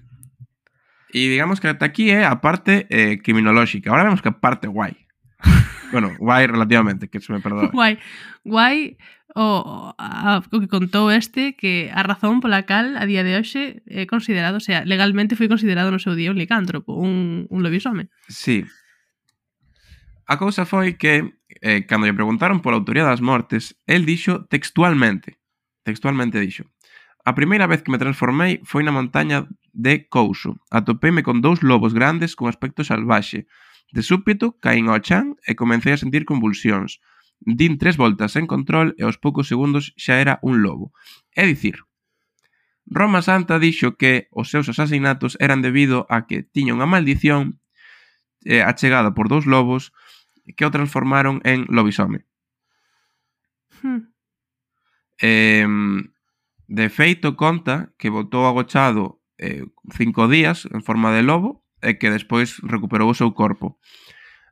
E digamos que ata aquí é a parte eh, criminolóxica. Ahora vemos que a parte guai. Bueno, guai relativamente, que se me perdoe. Guai. Guai o, a, o que contou este que a razón pola cal a día de hoxe é considerado, o sea, legalmente foi considerado no seu día un licántropo, un, un lobisome. Sí. A cousa foi que eh, cando lle preguntaron pola autoría das mortes, el dixo textualmente, textualmente dixo: a primeira vez que me transformei foi na montaña de Couso. Atopeime con dous lobos grandes con aspecto salvaxe. De súpeto, caín ao chan e comecei a sentir convulsións. Din tres voltas en control e aos poucos segundos xa era un lobo. É dicir, Roma Santa dixo que os seus asasinatos eran debido a que tiña unha maldición eh, achegada por dous lobos que o transformaron en lobisome. Hmm. Eh, de feito, conta que botou agochado eh, cinco días en forma de lobo e que despois recuperou o seu corpo.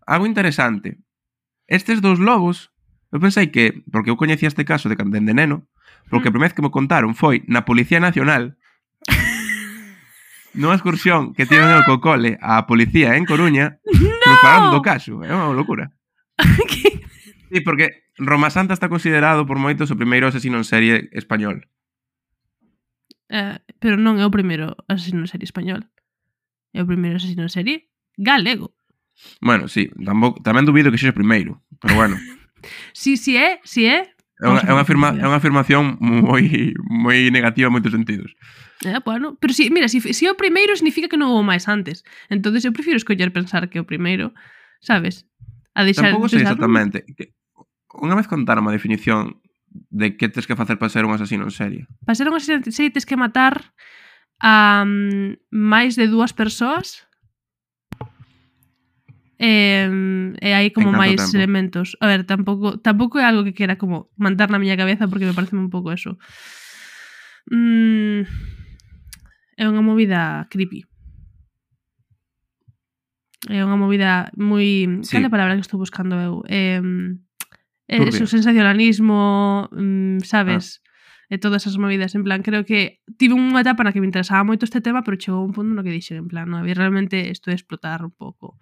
Algo interesante. Estes dous lobos, eu pensei que, porque eu coñecía este caso de cando de neno, porque a primeira vez que me contaron foi na Policía Nacional, nunha excursión que tiven eu co cole a policía en Coruña, que me falaron do caso. É unha locura. Sí, porque Roma Santa está considerado por moitos o primeiro asesino en serie español. Eh, pero non é o primeiro asesino en serie español. É o primeiro asesino en serie galego. Bueno, sí, tampouco, tamén dubido que sexa o primeiro. Pero bueno. Si, si é, si é... É unha, é unha, afirma, é unha afirmación moi moi negativa en moitos sentidos. Eh, bueno, pero si, mira, si, si é o primeiro significa que non houve máis antes. Entonces eu prefiro escoller pensar que o primeiro, sabes? A deixar Tampouco sei pensar, exactamente. Que, unha vez contaron a definición de que tens que facer para ser un asesino en serie. Para ser un asesino en serie tens que matar a um, máis de dúas persoas. E, e hai como máis tempo? Elementos. A ver, tampouco tampouco é algo que quera como mandar na miña cabeza porque me parece un pouco eso. Mm, é unha movida creepy. É unha movida moi... Sí. Cal é a palabra que estou buscando eu? É, é eso, sensacionalismo, sabes? Ah. E todas esas movidas, en plan, creo que tive unha etapa na que me interesaba moito este tema, pero chegou un punto no que dixen, en plan, no, realmente isto é explotar un pouco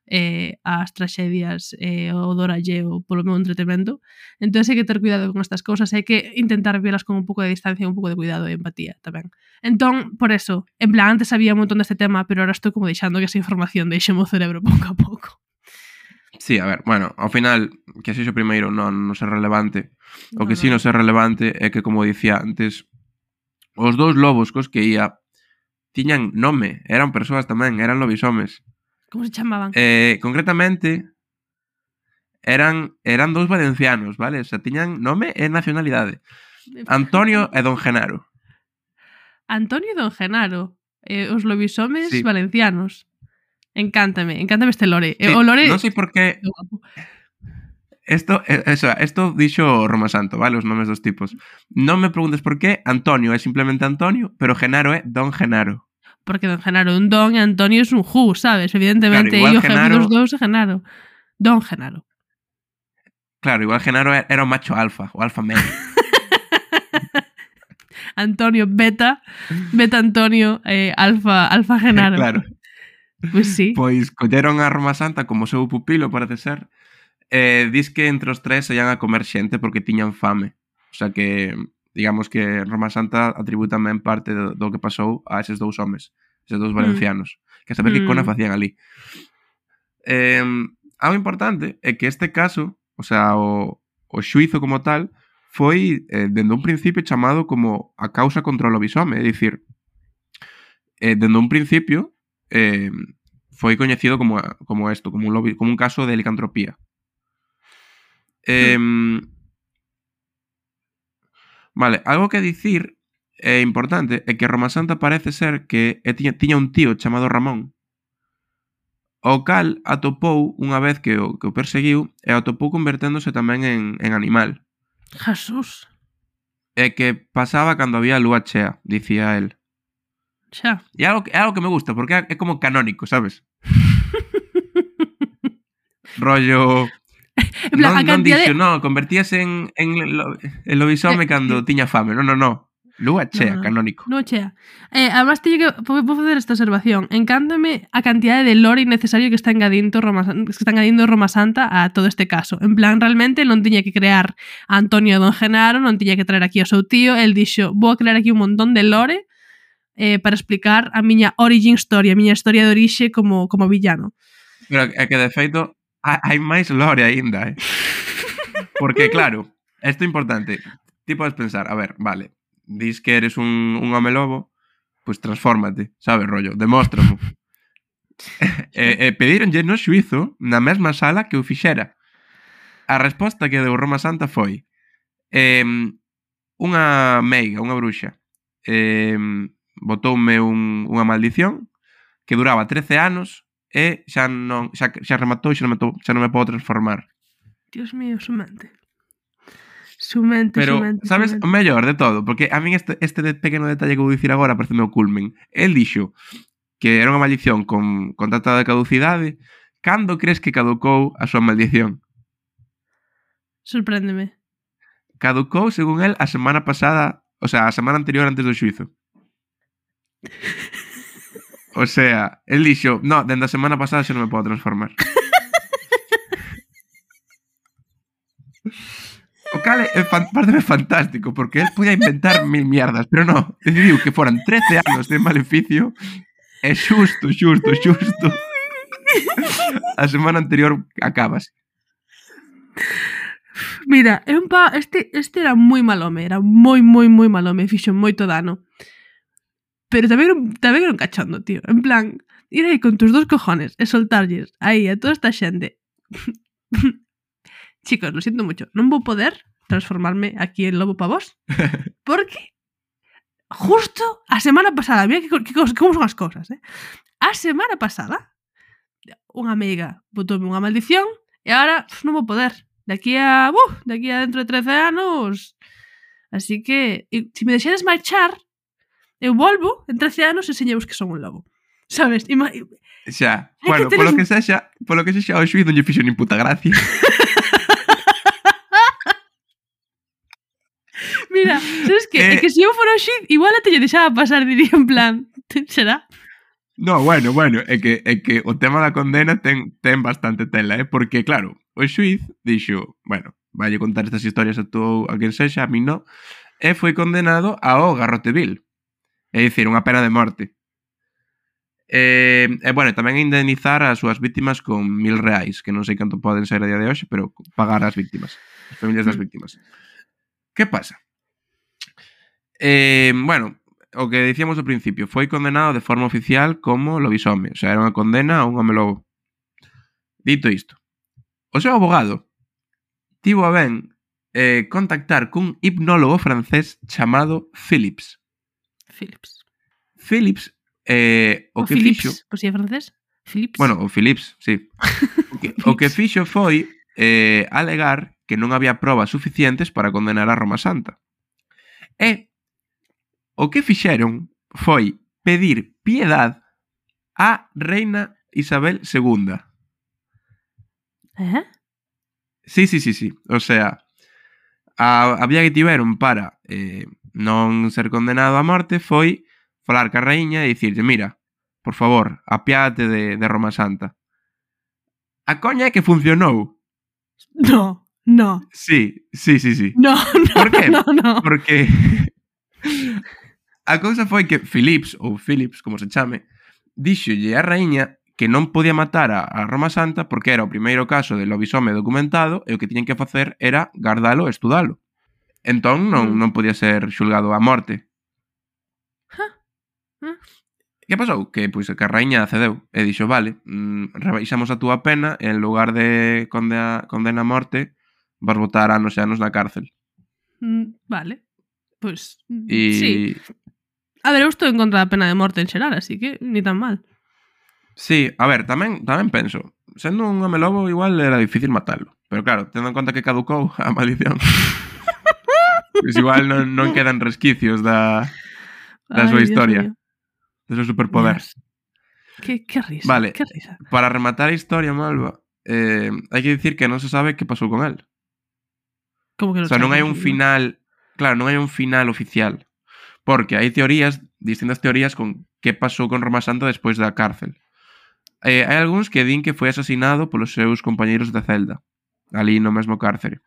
eh, as traxedias e eh, o doralleo polo meu entretemento. Entón hai que ter cuidado con estas cousas, hai que intentar verlas con un pouco de distancia, un pouco de cuidado e empatía tamén. Entón, por eso, en plan, antes sabía un montón deste tema, pero ahora estou como deixando que esa información deixe o cerebro pouco a pouco. Sí, a ver, bueno, ao final, que así o primeiro non, non é relevante. O que no, si non é relevante é que, como dicía antes, os dous lobos cos que ia tiñan nome, eran persoas tamén, eran lobisomes. Como se chamaban? Eh, concretamente, eran eran dous valencianos, vale? O sea, tiñan nome e nacionalidade. Antonio e Don Genaro. Antonio e Don Genaro. Eh, os lobisomes sí. Valencianos. Encántame, encántame este lore. Sí, o lore... Non sei por qué... Esto, eso, esto dixo Roma Santo, vale? Os nomes dos tipos. Non me preguntes por qué. Antonio é simplemente Antonio, pero Genaro é Don Genaro. Porque Don Genaro é un don e Antonio é un ju, sabes? Evidentemente, claro, e o jefe dos dous é Genaro. Don Genaro. Claro, igual Genaro era o macho alfa, o alfa medio. Antonio beta, beta Antonio, eh, alfa, alfa Genaro. Claro. Pois sí. Pois colleron a Roma Santa como seu pupilo, parece ser. Eh, dis que entre os tres se ian a comer xente porque tiñan fame. O sea que... digamos que Roma Santa atribúe tamén parte do, do que pasou a eses dous homes, eses dous valencianos, mm. que a saber mm. que cona facían ali. Eh, algo importante é que este caso, o sea, o, o xuizo como tal, foi eh, dende un principio chamado como a causa contra o lobisome, é dicir, eh, dende un principio eh, foi coñecido como, como esto, como un, lobby, como un caso de licantropía. Eh, mm. Vale, algo que dicir é importante é que Roma Santa parece ser que tiña, tiña un tío chamado Ramón, o cal atopou unha vez que o, que o perseguiu e atopou converténdose tamén en, en animal. Jesús. E que pasaba cando había lúa chea, dicía el. Xa. E é algo, é algo que me gusta, porque é como canónico, sabes? Rollo... En plan, non, non dixo, de... no, convertíase en, en, lo, en lobisome cando tiña fame. Non, non, non. Lúa chea, no, no. Canónico. Lúa chea. Eh, además, teño que vou facer esta observación. Encántame a cantidade de lore innecesario que está engadindo Roma, que está engadindo Roma Santa a todo este caso. En plan, realmente non tiña que crear a Antonio Don Genaro, non tiña que traer aquí ao seu tío. El dixo, vou a crear aquí un montón de lore eh, para explicar a miña origin story, a miña historia de orixe como, como villano. Pero é que, de feito, hai máis lore aínda, eh? Porque, claro, isto é importante. Ti podes pensar, a ver, vale, dis que eres un, un home lobo, pois pues transfórmate, sabes, rollo, demóstramo. e, e pedíronlle no xuizo na mesma sala que o fixera. A resposta que deu Roma Santa foi eh, unha meiga, unha bruxa, eh, botoume un, unha maldición que duraba trece anos e xa non xa, xa rematou e xa non me, to, xa non me podo transformar. Dios mío, su mente. Su mente, pero, su mente. Pero, sabes, o mellor de todo, porque a min este, este pequeno detalle que vou dicir agora parece meu culmen. El dixo que era unha maldición con, con data de caducidade. Cando crees que caducou a súa maldición? Sorpréndeme. Caducou, según el, a semana pasada, o sea, a semana anterior antes do xuizo. O sea, el dixo, no, dende a semana pasada xa non me podo transformar. O cal é, é parece fantástico, porque el podía inventar mil mierdas, pero no, decidiu que foran trece anos de maleficio e xusto, xusto, xusto a semana anterior acabas. Mira, é un pa... este, este era moi mal home, era moi, moi, moi mal home, fixo moito dano. Pero tamén era, un- tamén era un cachondo, tío. En plan, ir aí con tus dos cojones e soltarlles aí a toda esta xente. Chicos, lo siento mucho. Non vou poder transformarme aquí en lobo pa vos. Porque justo a semana pasada, mira que, que, como son as cousas, eh? A semana pasada, unha amiga botoume unha maldición e agora pf, non vou poder. De aquí a... Uh, de aquí a dentro de trece anos... Así que, e, se me deixades marchar, eu volvo en trece anos e enseñemos que son un lobo. Sabes? Ima... Xa, Hai bueno, que polo teres- que sexa, polo que sexa, o xuiz non lle fixo nin puta gracia. Mira, sabes que? É Eh. que se eu fora o xiz, igual até lle deixaba pasar, diría en plan, será? No, bueno, bueno, é que, é que o tema da condena ten, ten bastante tela, eh? Porque, claro, o xuiz dixo, bueno, vai contar estas historias a tú, a quen sexa, a mí non, e foi condenado ao garrote vil. É dicir, unha pena de morte. E, e bueno, tamén indemnizar as súas víctimas con mil reais, que non sei canto poden ser a día de hoxe, pero pagar as víctimas, as familias das Mm. víctimas. Que pasa? Eh, bueno, o que dicíamos ao principio, foi condenado de forma oficial como lobisome, o sea, era unha condena a un home lobo. Dito isto, o seu abogado tivo a ben eh, contactar cun hipnólogo francés chamado Philips. Philips. Philips, eh, o, O que Philips, fixo... por si é francés. Philips. Bueno, o Philips, sí. O que, o que fixo foi eh, alegar que non había probas suficientes para condenar a Roma Santa. E o que fixeron foi pedir piedad á reina Isabel segunda. Eh? Sí, sí, sí, sí. O sea, a, a vía que tiveron para eh, non ser condenado a morte foi falar ca raíña e dicirlle, mira, por favor, apiádate de, de Roma Santa. A coña é que funcionou. No, no, Sí, sí, sí, sí. no, no, Por qué? no, no. Porque a cousa foi que Philips, ou Philips, como se chame, díxolle a raíña que non podía matar a, a Roma Santa porque era o primeiro caso de lobisome documentado e o que tiñen que facer era guardalo e estudalo. Entón non, Mm. non podía ser xulgado a morte. Huh? Que pasou? Que, pois, que a raíña accedeu e dixo, vale, mm, rebaixamos a túa pena e en lugar de condena, condena a morte vas botar anos e anos na cárcel. Mm, vale. Pues E... sí. A ver, eu estou en contra da pena de morte en xeral, así que ni tan mal. Sí, a ver, tamén tamén penso, sendo un home lobo igual era difícil matalo. Pero claro, tendo en conta que caducou a maldición. Pois igual non, non quedan resquicios da, da Ay, súa Dios historia, mío. do seu superpoder. Dios. Que, que risa, Vale. que risa. Para rematar a historia, Malva, eh, hai que dicir que non se sabe que pasou con el. Como que O sea, non hai un sabes, final, claro, non hai un final oficial. Porque hai teorías, distintas teorías con que pasou con Roma Santa despois da cárcel. Eh, hai algúns que din que foi asesinado polos seus compañeiros de celda, ali no mesmo cárcere.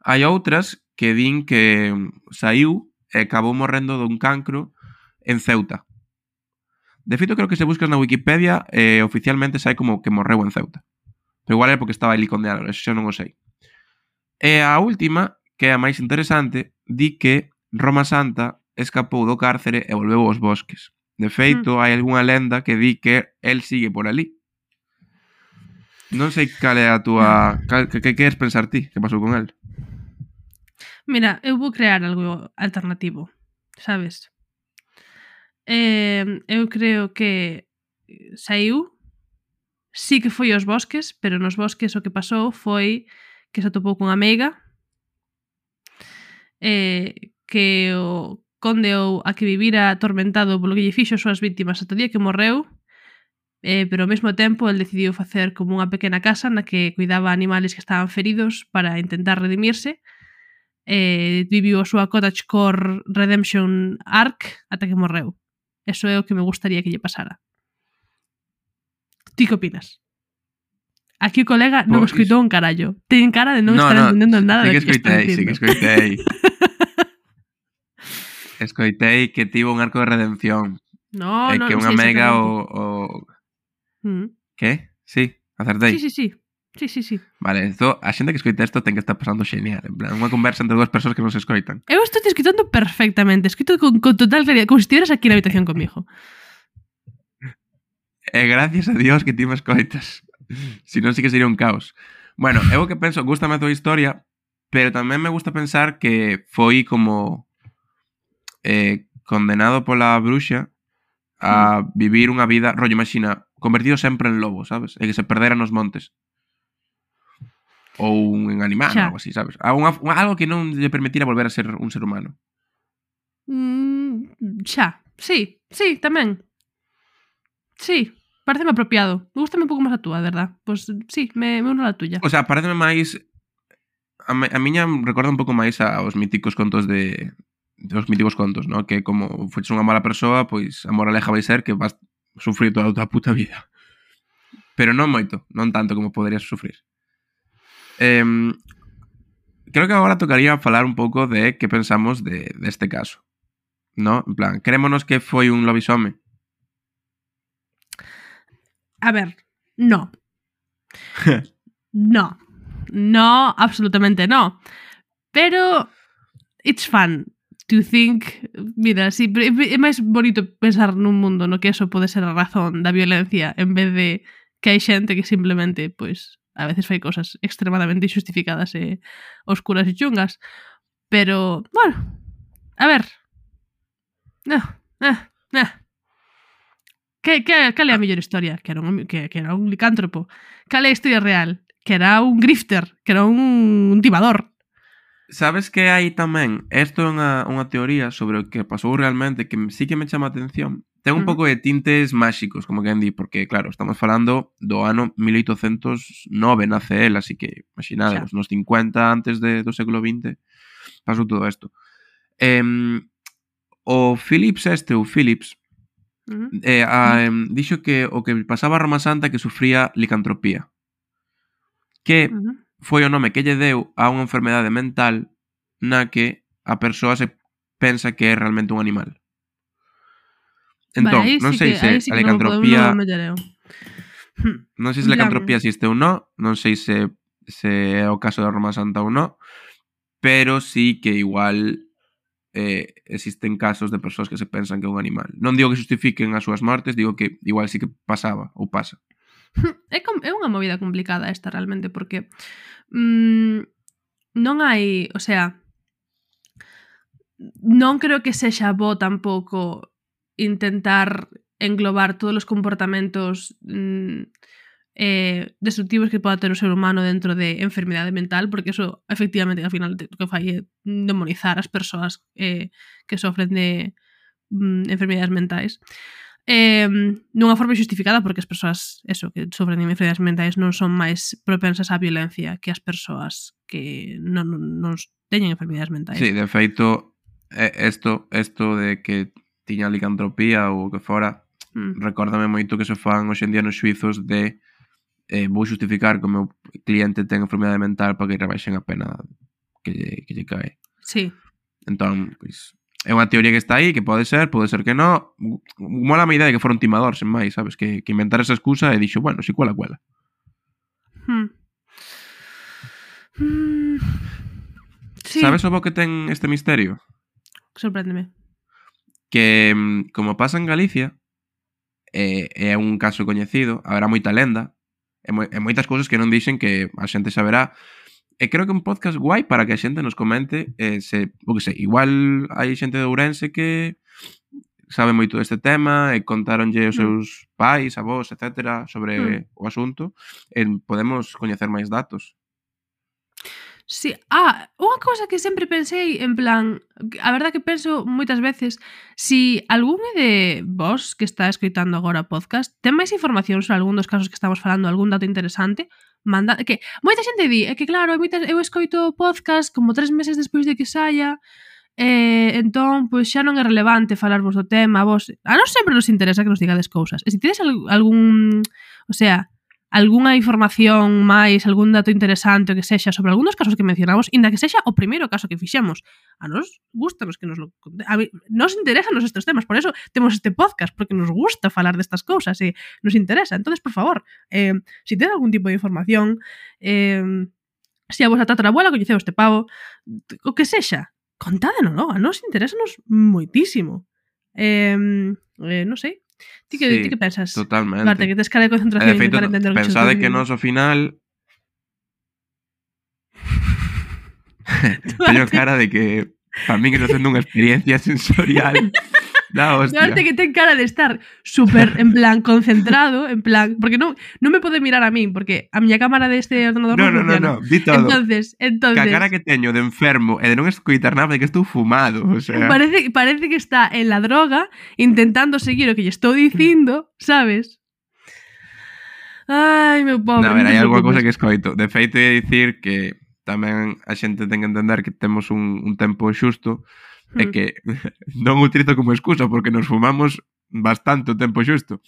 Hai outras que din que saiu e acabou morrendo dun cancro en Ceuta. De feito, creo que se buscas na Wikipedia, eh, oficialmente sai como que morreu en Ceuta. Pero igual é porque estaba ali condenado, eso xa non o sei. E a última, que é a máis interesante, di que Roma Santa escapou do cárcere e volveu aos bosques. De feito, mm. hai algunha lenda que di que el sigue por ali. Non sei cal é a túa... Cal, que, que queres pensar ti que pasou con el? Mira, eu vou crear algo alternativo, sabes? Eh, eu creo que saiu, sí que foi aos bosques, pero nos bosques o que pasou foi que se atopou cunha meiga, eh, que o condeou a que vivira atormentado polo que lle fixo as súas víctimas ata o día que morreu, eh, pero ao mesmo tempo el decidiu facer como unha pequena casa na que cuidaba animales que estaban feridos para intentar redimirse. Eh, viviu a súa cottagecore redemption arc ata que morreu. Eso é o que me gustaría que lle pasara. Ti que opinas? Aquí o colega non Pois... escoitou un carallo. Ten cara de non no, estar no, entendendo nada sí do que que está escoitei, sí que dicindo. escoitei. Escoitei que tivo un arco de redención. No, E no, que non unha sei mega exactamente. o... o... Mm. Que? Sí, acertei. Sí, sí, sí. Sí, sí, sí. Vale, esto, a xente que escoita isto ten que estar pasando xenial. En plan, unha conversa entre dúas persoas que non se escoitan. Eu estou te escoitando perfectamente. Escoito con, con total claridad, como se estiveras aquí na habitación comigo. E gracias a Dios que ti me escoitas. Si non, sí que sería un caos. Bueno, eu que penso, gustame a tua historia, pero tamén me gusta pensar que foi como eh, condenado pola bruxa a vivir unha vida, rollo, imagina, convertido sempre en lobo, sabes? E que se perdera nos montes. Ou en animal, ou algo así, sabes? Unha, algo que non lle permitira volver a ser un ser humano. Mm, xa, sí, sí, tamén. Sí, pareceme apropiado. Me gusta un pouco máis a túa, verdad? Pois pues, sí, me, me uno a tuya. O sea, pareceme máis... A, me, a miña recorda un pouco máis aos míticos contos de... Os míticos contos, ¿no? Que como foches unha mala persoa, pois a moraleja vai ser que vas sufrir toda a tua puta vida. Pero non moito, non tanto como poderías sufrir. Eh, creo que agora tocaría falar un pouco de que pensamos de, de este caso, ¿no? En plan, creémonos que foi un lobisome? A ver, no. No. No, absolutamente no. Pero it's fun to think, mira, sí, é máis bonito pensar nun mundo no que eso pode ser a razón da violencia en vez de que hai xente que simplemente, pois, a veces fai cosas extremadamente injustificadas e oscuras e chungas. Pero, bueno, a ver. No, eh, eh. Que, que, cal é a mellor historia? Que era, un, que, que era un licántropo. Cal é a historia real? Que era un grifter, que era un, un timador. Sabes que hai tamén, isto é unha, unha teoría sobre o que pasou realmente que sí que me chama a atención. Ten un uh -huh. pouco de tintes máxicos, como quen di, porque claro, estamos falando do ano mil oitocentos e nove nace el, así que imaginademos, nos cincuenta antes de, do século vinte pasou todo isto. Eh, o Philips este, o Philips, uh -huh. eh, a, eh, dixo que o que pasaba a Roma Santa que sufría licantropía. Que uh -huh. foi o nome que lle deu a unha enfermedade mental na que a persoa se pensa que é realmente un animal. Entón, vale, non sí sei que, se sí a licantropía... No non sei se a licantropía existe ou non, non sei se, se é o caso da Roma Santa ou non, pero sí que igual eh, existen casos de persoas que se pensan que é un animal. Non digo que justifiquen as súas mortes, digo que igual sí que pasaba ou pasa. É, com, é unha movida complicada esta realmente, porque mmm, non hai, o sea, non creo que sexa bo tampouco intentar englobar todos os comportamentos mmm, eh, destructivos que poda ter o ser humano dentro de enfermidade mental, porque eso efectivamente ao final o que fai é demonizar as persoas eh, que sofren de mmm, enfermidades mentais. Eh, nunha forma justificada, porque as persoas eso, que sofren de enfermedades mentais non son máis propensas á violencia que as persoas que non, non, non teñen enfermedades mentais. Sí, de feito, isto, isto de que tiña licantropía ou o que fora, mm. recórdame moito que se fan hoxe en día nos xuizos de eh, vou justificar que o meu cliente ten enfermedade mental para que rebaixen a pena que lle, que lle cae. Sí. Entón, pois, é unha teoría que está aí, que pode ser, pode ser que non. Mola a idea de que fora un timador, sen máis, sabes? Que, que inventar esa excusa e dixo, bueno, si cuela, cuela. Hmm. Hmm. Sí. Sabes o bo que ten este misterio? Sorpréndeme. Que, como pasa en Galicia, é, é un caso coñecido, haberá moita lenda, e, mo, e moitas cousas que non dixen que a xente saberá. E creo que un podcast guai para que a xente nos comente eh, se, o que sei, igual hai xente de Ourense que sabe moito deste tema e contaronlle os seus pais, avós, etcétera sobre mm. o asunto e podemos coñecer máis datos. Sí, ah, unha cousa que sempre pensei en plan, a verdad que penso moitas veces, si algún de vos que está escoitando agora o podcast ten máis información sobre algún dos casos que estamos falando, algún dato interesante, manda, que moita xente di, é que claro, moitas, eu escoito o podcast como tres meses despois de que saia, eh, entón, pois xa non é relevante falarvos do tema, vos, a nós sempre nos interesa que nos digades cousas, e se tedes algún, o sea, algunha información máis, algún dato interesante o que sexa sobre algún dos casos que mencionamos, inda que sexa o primeiro caso que fixemos. A nos gustanos que nos lo conte. A mí, nos interesan estes temas, por eso temos este podcast, porque nos gusta falar destas cousas e nos interesa. Entonces, por favor, eh, se si ten algún tipo de información, eh, se a vosa tatarabuela coñeceu este pavo, o que sexa, contádenoslo, a nos interesanos moitísimo. Eh, eh, non sei. Ti que, sí, ti que pensas? Totalmente. Marte, que tes cara de concentración e de feito, para entender o que pensade que nos ao final teño cara de que para min estou facendo unha experiencia sensorial da hostia. Marte que ten cara de estar super en plan concentrado, en plan, porque non non me pode mirar a min, porque a miña cámara deste ordenador No, non no, no, funciona. no, di todo. Entonces, entonces Que a cara que teño de enfermo e de non escoitar nada de que estou fumado, o sea. Parece, parece que está en la droga intentando seguir o que lle estou dicindo, sabes? Ai, meu pobre. No, a ver, non te hai algunha preocupes. cousa que escoito. De feito, é dicir que tamén a xente ten que entender que temos un, un tempo xusto e Hmm. que non o utilizo como excusa porque nos fumamos bastante o tempo xusto.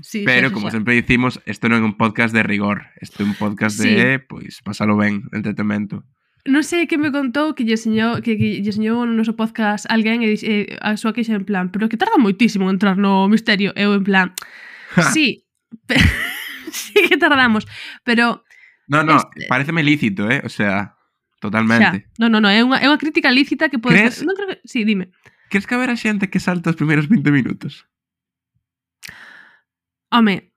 Sí, Pero, xa, xa, como xa. sempre dicimos, isto non é un podcast de rigor. Isto é un podcast Sí. de, pois, pasalo ben, de entretemento. Non sei que me contou que lle enseñou, que, que lle enseñou no noso podcast alguén e eh, a súa queixa en plan, pero que tarda moitísimo en entrar no misterio. Eu en plan, sí, pe- sí que tardamos, pero No, no, Este- pareceme lícito, eh? O sea, xa, totalmente. no, no, no, é unha, é unha crítica lícita que pode Crees- ser, non creo que, sí, dime. Crees que haberá xente que salta os primeiros vinte minutos? Home,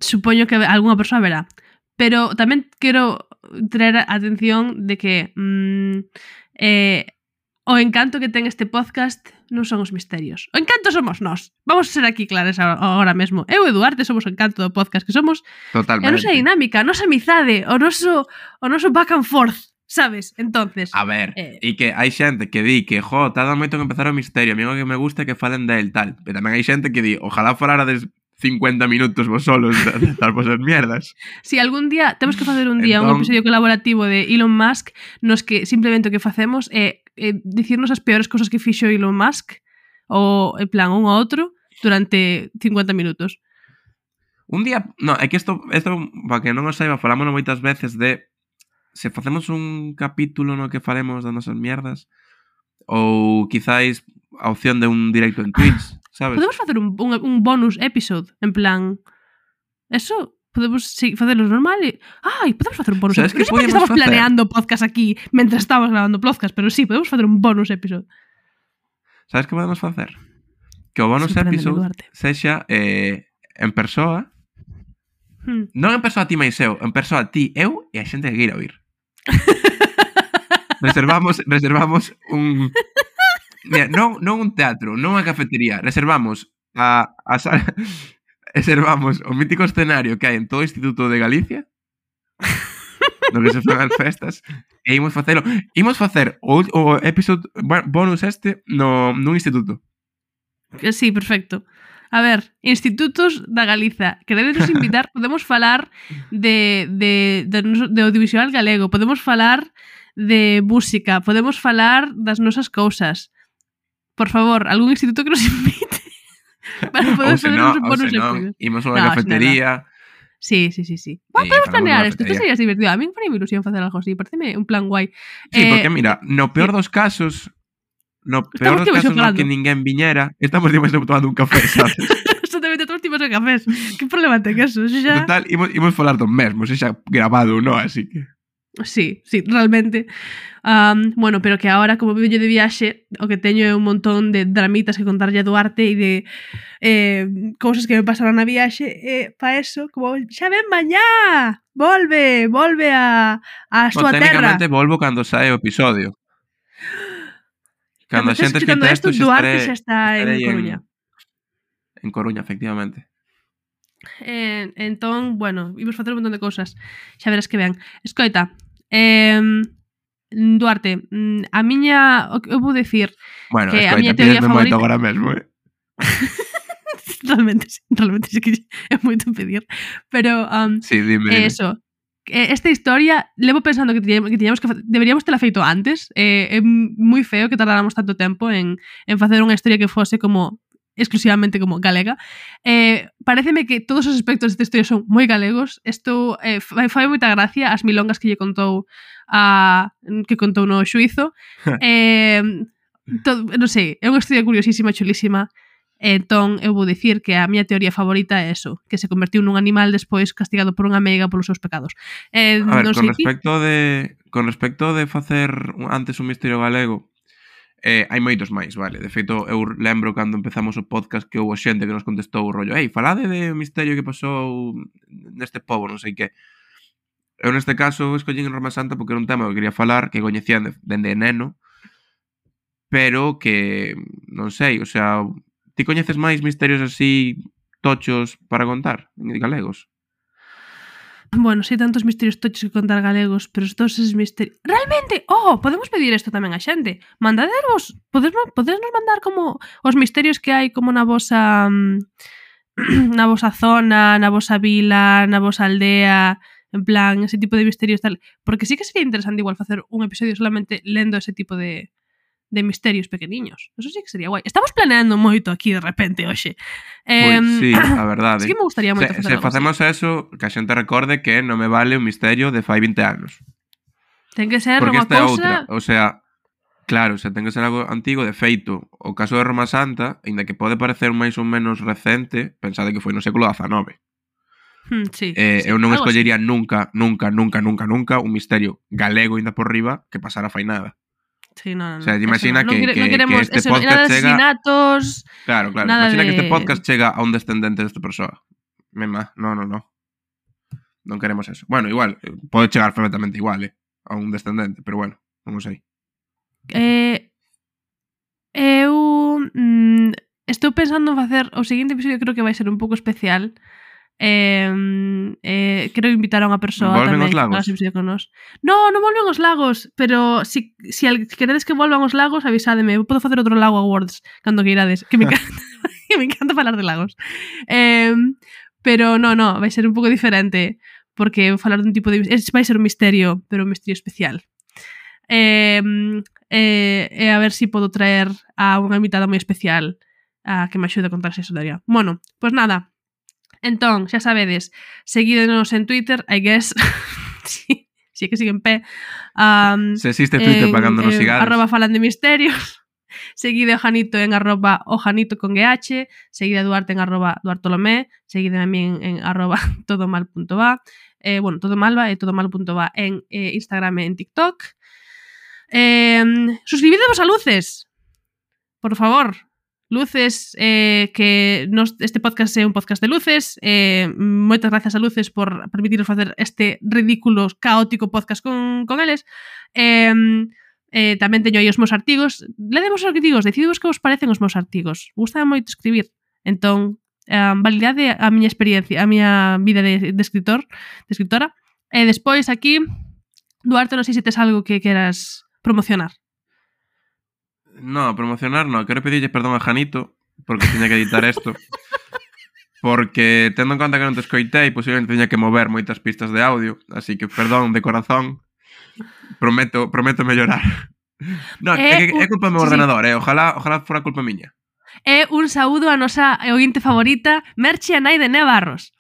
supoño que algunha persoa verá, pero tamén quero traer a atención de que mm, eh, o encanto que ten este podcast non son os misterios. O encanto somos nós. Vamos a ser aquí claras agora mesmo. Eu e Duarte somos o encanto do podcast, que somos Totalmente. a nosa dinámica, a nosa amizade, o noso, o noso back and forth, sabes? Entonces, A ver, Eh. e que hai xente que di que, jo, tarda moito en empezar o misterio, a mí o que me gusta é que falen del tal. Pero tamén hai xente que di, ojalá falara des cincuenta minutos vos solos de dar vosas mierdas. si algún día temos que facer un día un Entón- episodio colaborativo de Elon Musk nos que simplemente o que facemos é, é dicirnos as peores cosas que fixo Elon Musk ou en plan un ao outro durante cincuenta minutos. Un día, no, é que isto, isto para que non o saiba, falámonos moitas veces de se facemos un capítulo no que falemos das nosas mierdas ou quizáis a opción de un directo en Twitch, sabes? Podemos facer un, un, un bonus episode en plan eso podemos sí, facerlo normal e... Ai, podemos facer un bonus Sabes episode. que Non sei por que podemos estamos facer? planeando podcast aquí mentre estamos grabando podcast, pero sí, podemos facer un bonus episode. Sabes que podemos facer? Que o bonus Sorpréndeme, episode Duarte. sexa eh, en persoa, Hmm. non en persoa ti máis eu, en persoa ti, eu e a xente que queira oír. reservamos reservamos un Mira, non, non un teatro, non unha cafetería, reservamos a, a sala, reservamos o mítico escenario que hai en todo o Instituto de Galicia, no que se fan as festas, e imos facelo, imos facer o, o episode bonus este no nun instituto. Que sí, perfecto. A ver, institutos da Galiza, queredes invitar, podemos falar de, de, de, de audiovisual galego, podemos falar de música, podemos falar das nosas cousas. Por favor, algún instituto que nos invite para poder Ou se fazer non, uns ou bonus se non, episodios. imos a unha No, cafetería. Sí, sí, sí, sí. Bueno, Sí, podemos falamos planear dunha isto, isto cafetería. sería divertido. A mí me faría ilusión facer algo así, pareceme un plan guai. Sí, Eh, porque mira, no peor dos casos, no peor Estamos dos tío casos no xogando. que ninguén viñera, estamos dimos tomando un café, sabes? Exactamente, todos tipos de cafés. Que problema ten eso? Eso xa... Total, imos, imos falar do mesmo, se xa grabado, non? Así que... Sí, sí, realmente. Um, bueno, pero que ahora, como vivo yo de viaxe, o que teño é un montón de dramitas que contarlle a Duarte e de eh, cousas que me pasaron na viaxe, e pa eso, como xa ven mañá, volve, volve a, a Bueno, súa terra. técnicamente volvo cando sae o episodio. Cando a xente escuchando escrita isto, isto, xa Duarte estaré, xa está en estarei Coruña. En Coruña, efectivamente. Eh, entón, bueno, imos facer un montón de cousas. Xa verás que ben. Escoita, eh, Duarte, mm, a miña, o que eu vou decir, Bueno, Que a escoita, miña teoría pídesme moito favorita- agora mesmo, eh? realmente, sí, realmente sí que é moito pedir, pero um, Sí, dime, é dime. eso. Eh, Esta historia levo pensando que tiñamos que, tiñamos que fa- deberíamos tela feito antes. Eh, é moi feo que tardáramos tanto tempo en, en facer unha historia que fose como exclusivamente como galega. Eh, pareceme que todos os aspectos desta historia son moi galegos. Isto eh, fai, fai moita gracia as milongas que lle contou a que contou no xuizo. eh, todo, non sei, é unha historia curiosísima, chulísima. Entón, eu vou dicir que a miña teoría favorita é eso, que se convertiu nun animal despois castigado por unha meiga polos seus pecados. Eh, A ver, non con sei respecto de con respecto de facer antes un misterio galego, eh, hai moitos máis, vale? De feito, eu lembro cando empezamos o podcast que houve xente que nos contestou o rollo «Ei, falade de misterio que pasou neste pobo, non sei que». Eu neste caso escollín en Roma Santa porque era un tema que quería falar, que coñecían dende neno, pero que, non sei, o sea... Ti coñeces máis misterios así tochos para contar en galegos? Bueno, sei tantos misterios tochos que contar galegos, pero todos esos misterios... Realmente, oh, podemos pedir isto tamén a xente. Mandadervos, podernos, podernos mandar como os misterios que hai como na vosa na vosa zona, na vosa vila, na vosa aldea, en plan, ese tipo de misterios tal. Porque sí que sería interesante igual facer un episodio solamente lendo ese tipo de de misterios pequeniños. Eso sí que sería guai. Estamos planeando moito aquí de repente, hoxe. Eh, Pois sí, a verdade. Sí que me gustaría moito se, facer se facemos así. eso, que a xente recorde que non me vale un misterio de fai vinte anos. Ten que ser Porque unha esta é cousa... outra. O sea, claro, se ten que ser algo antigo. De feito, o caso de Roma Santa, ainda que pode parecer máis ou menos recente, pensade que foi no século dezanove. Hmm, sí, Eh, sí, eu non algo escollería así. nunca, nunca, nunca, nunca, nunca un misterio galego ainda por riba que pasara fai nada. Sí, no, no, O sea, eso imagina no. que, Non, quere, que, non queremos que este eso, podcast nada de chega... asesinatos, Claro, claro. nada Imagina de... que este podcast chega a un descendente desta persoa. Mema, no, no, no. Non queremos eso. Bueno, igual, pode chegar perfectamente igual, eh, a un descendente, pero bueno, non sei. Eh, eu mm, estou pensando en facer o seguinte episodio, creo que vai ser un pouco especial. Eh, eh, quero invitar a unha persoa Volven tamén os lagos? que episodio con nos. No, non volven os lagos, pero si, si, al, si queredes que volvan os lagos, avisádeme. Eu podo facer outro lago awards cando que irades, que me encanta, que me encanta falar de lagos. Eh, pero no, no, vai ser un pouco diferente porque vou falar dun tipo de... Vai ser un misterio, pero un misterio especial. Eh, eh, e a ver se si podo traer a unha invitada moi especial a que me axude a contar esa historia. Bueno, pois pues nada. Entón, xa sabedes, seguídenos en Twitter, I guess. Si sí, sí que sigue en pé. Um, Se existe Twitter en, pagando nos en, sigades. Arroba falan de misterios. Seguide a Janito en arroba ojanito con gh. Seguide a Duarte en arroba duartolomé. Seguide a mí en, en arroba todomal.va. Eh, bueno, todomalva e todomal.va en eh, Instagram e en TikTok. Eh, suscribidevos a Luces. Por favor. Luces, eh, que nos, este podcast é un podcast de Luces. Eh, moitas gracias a Luces por permitirnos facer este ridículo, caótico podcast con, con eles. Eh, eh, tamén teño aí os meus artigos. Ledemos os artigos, decidimos que vos parecen os meus artigos. Gustaba moito escribir. Entón, eh, validade a miña experiencia, a miña vida de, de escritor, de escritora. E despois aquí, Duarte, non sei se tes algo que queras promocionar. No, promocionar no. Quero pedirlle perdón a Janito porque tiña que editar isto. Porque, tendo en conta que non te escoitei, posiblemente teña que mover moitas pistas de audio. Así que, perdón de corazón. Prometo, prometo mellorar. No, é, é, é culpa do meu ordenador, eh. Ojalá, ojalá fora culpa miña. É un saúdo a nosa ointe favorita, Merchi a nai de Nevarros.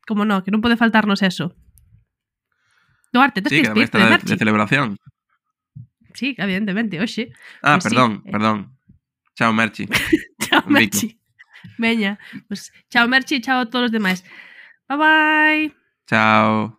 Como no, que non pode faltarnos eso. Duarte, tes sí, que despedirte de, de Merchi. de celebración. Sí, evidentemente, oxe. Ah, pues perdón, sí. perdón. Chao, Merchi. Chao, Un bico. Merchi. Veña, pues chao, Merchi, chao a todos os demais. Bye, bye. Chao.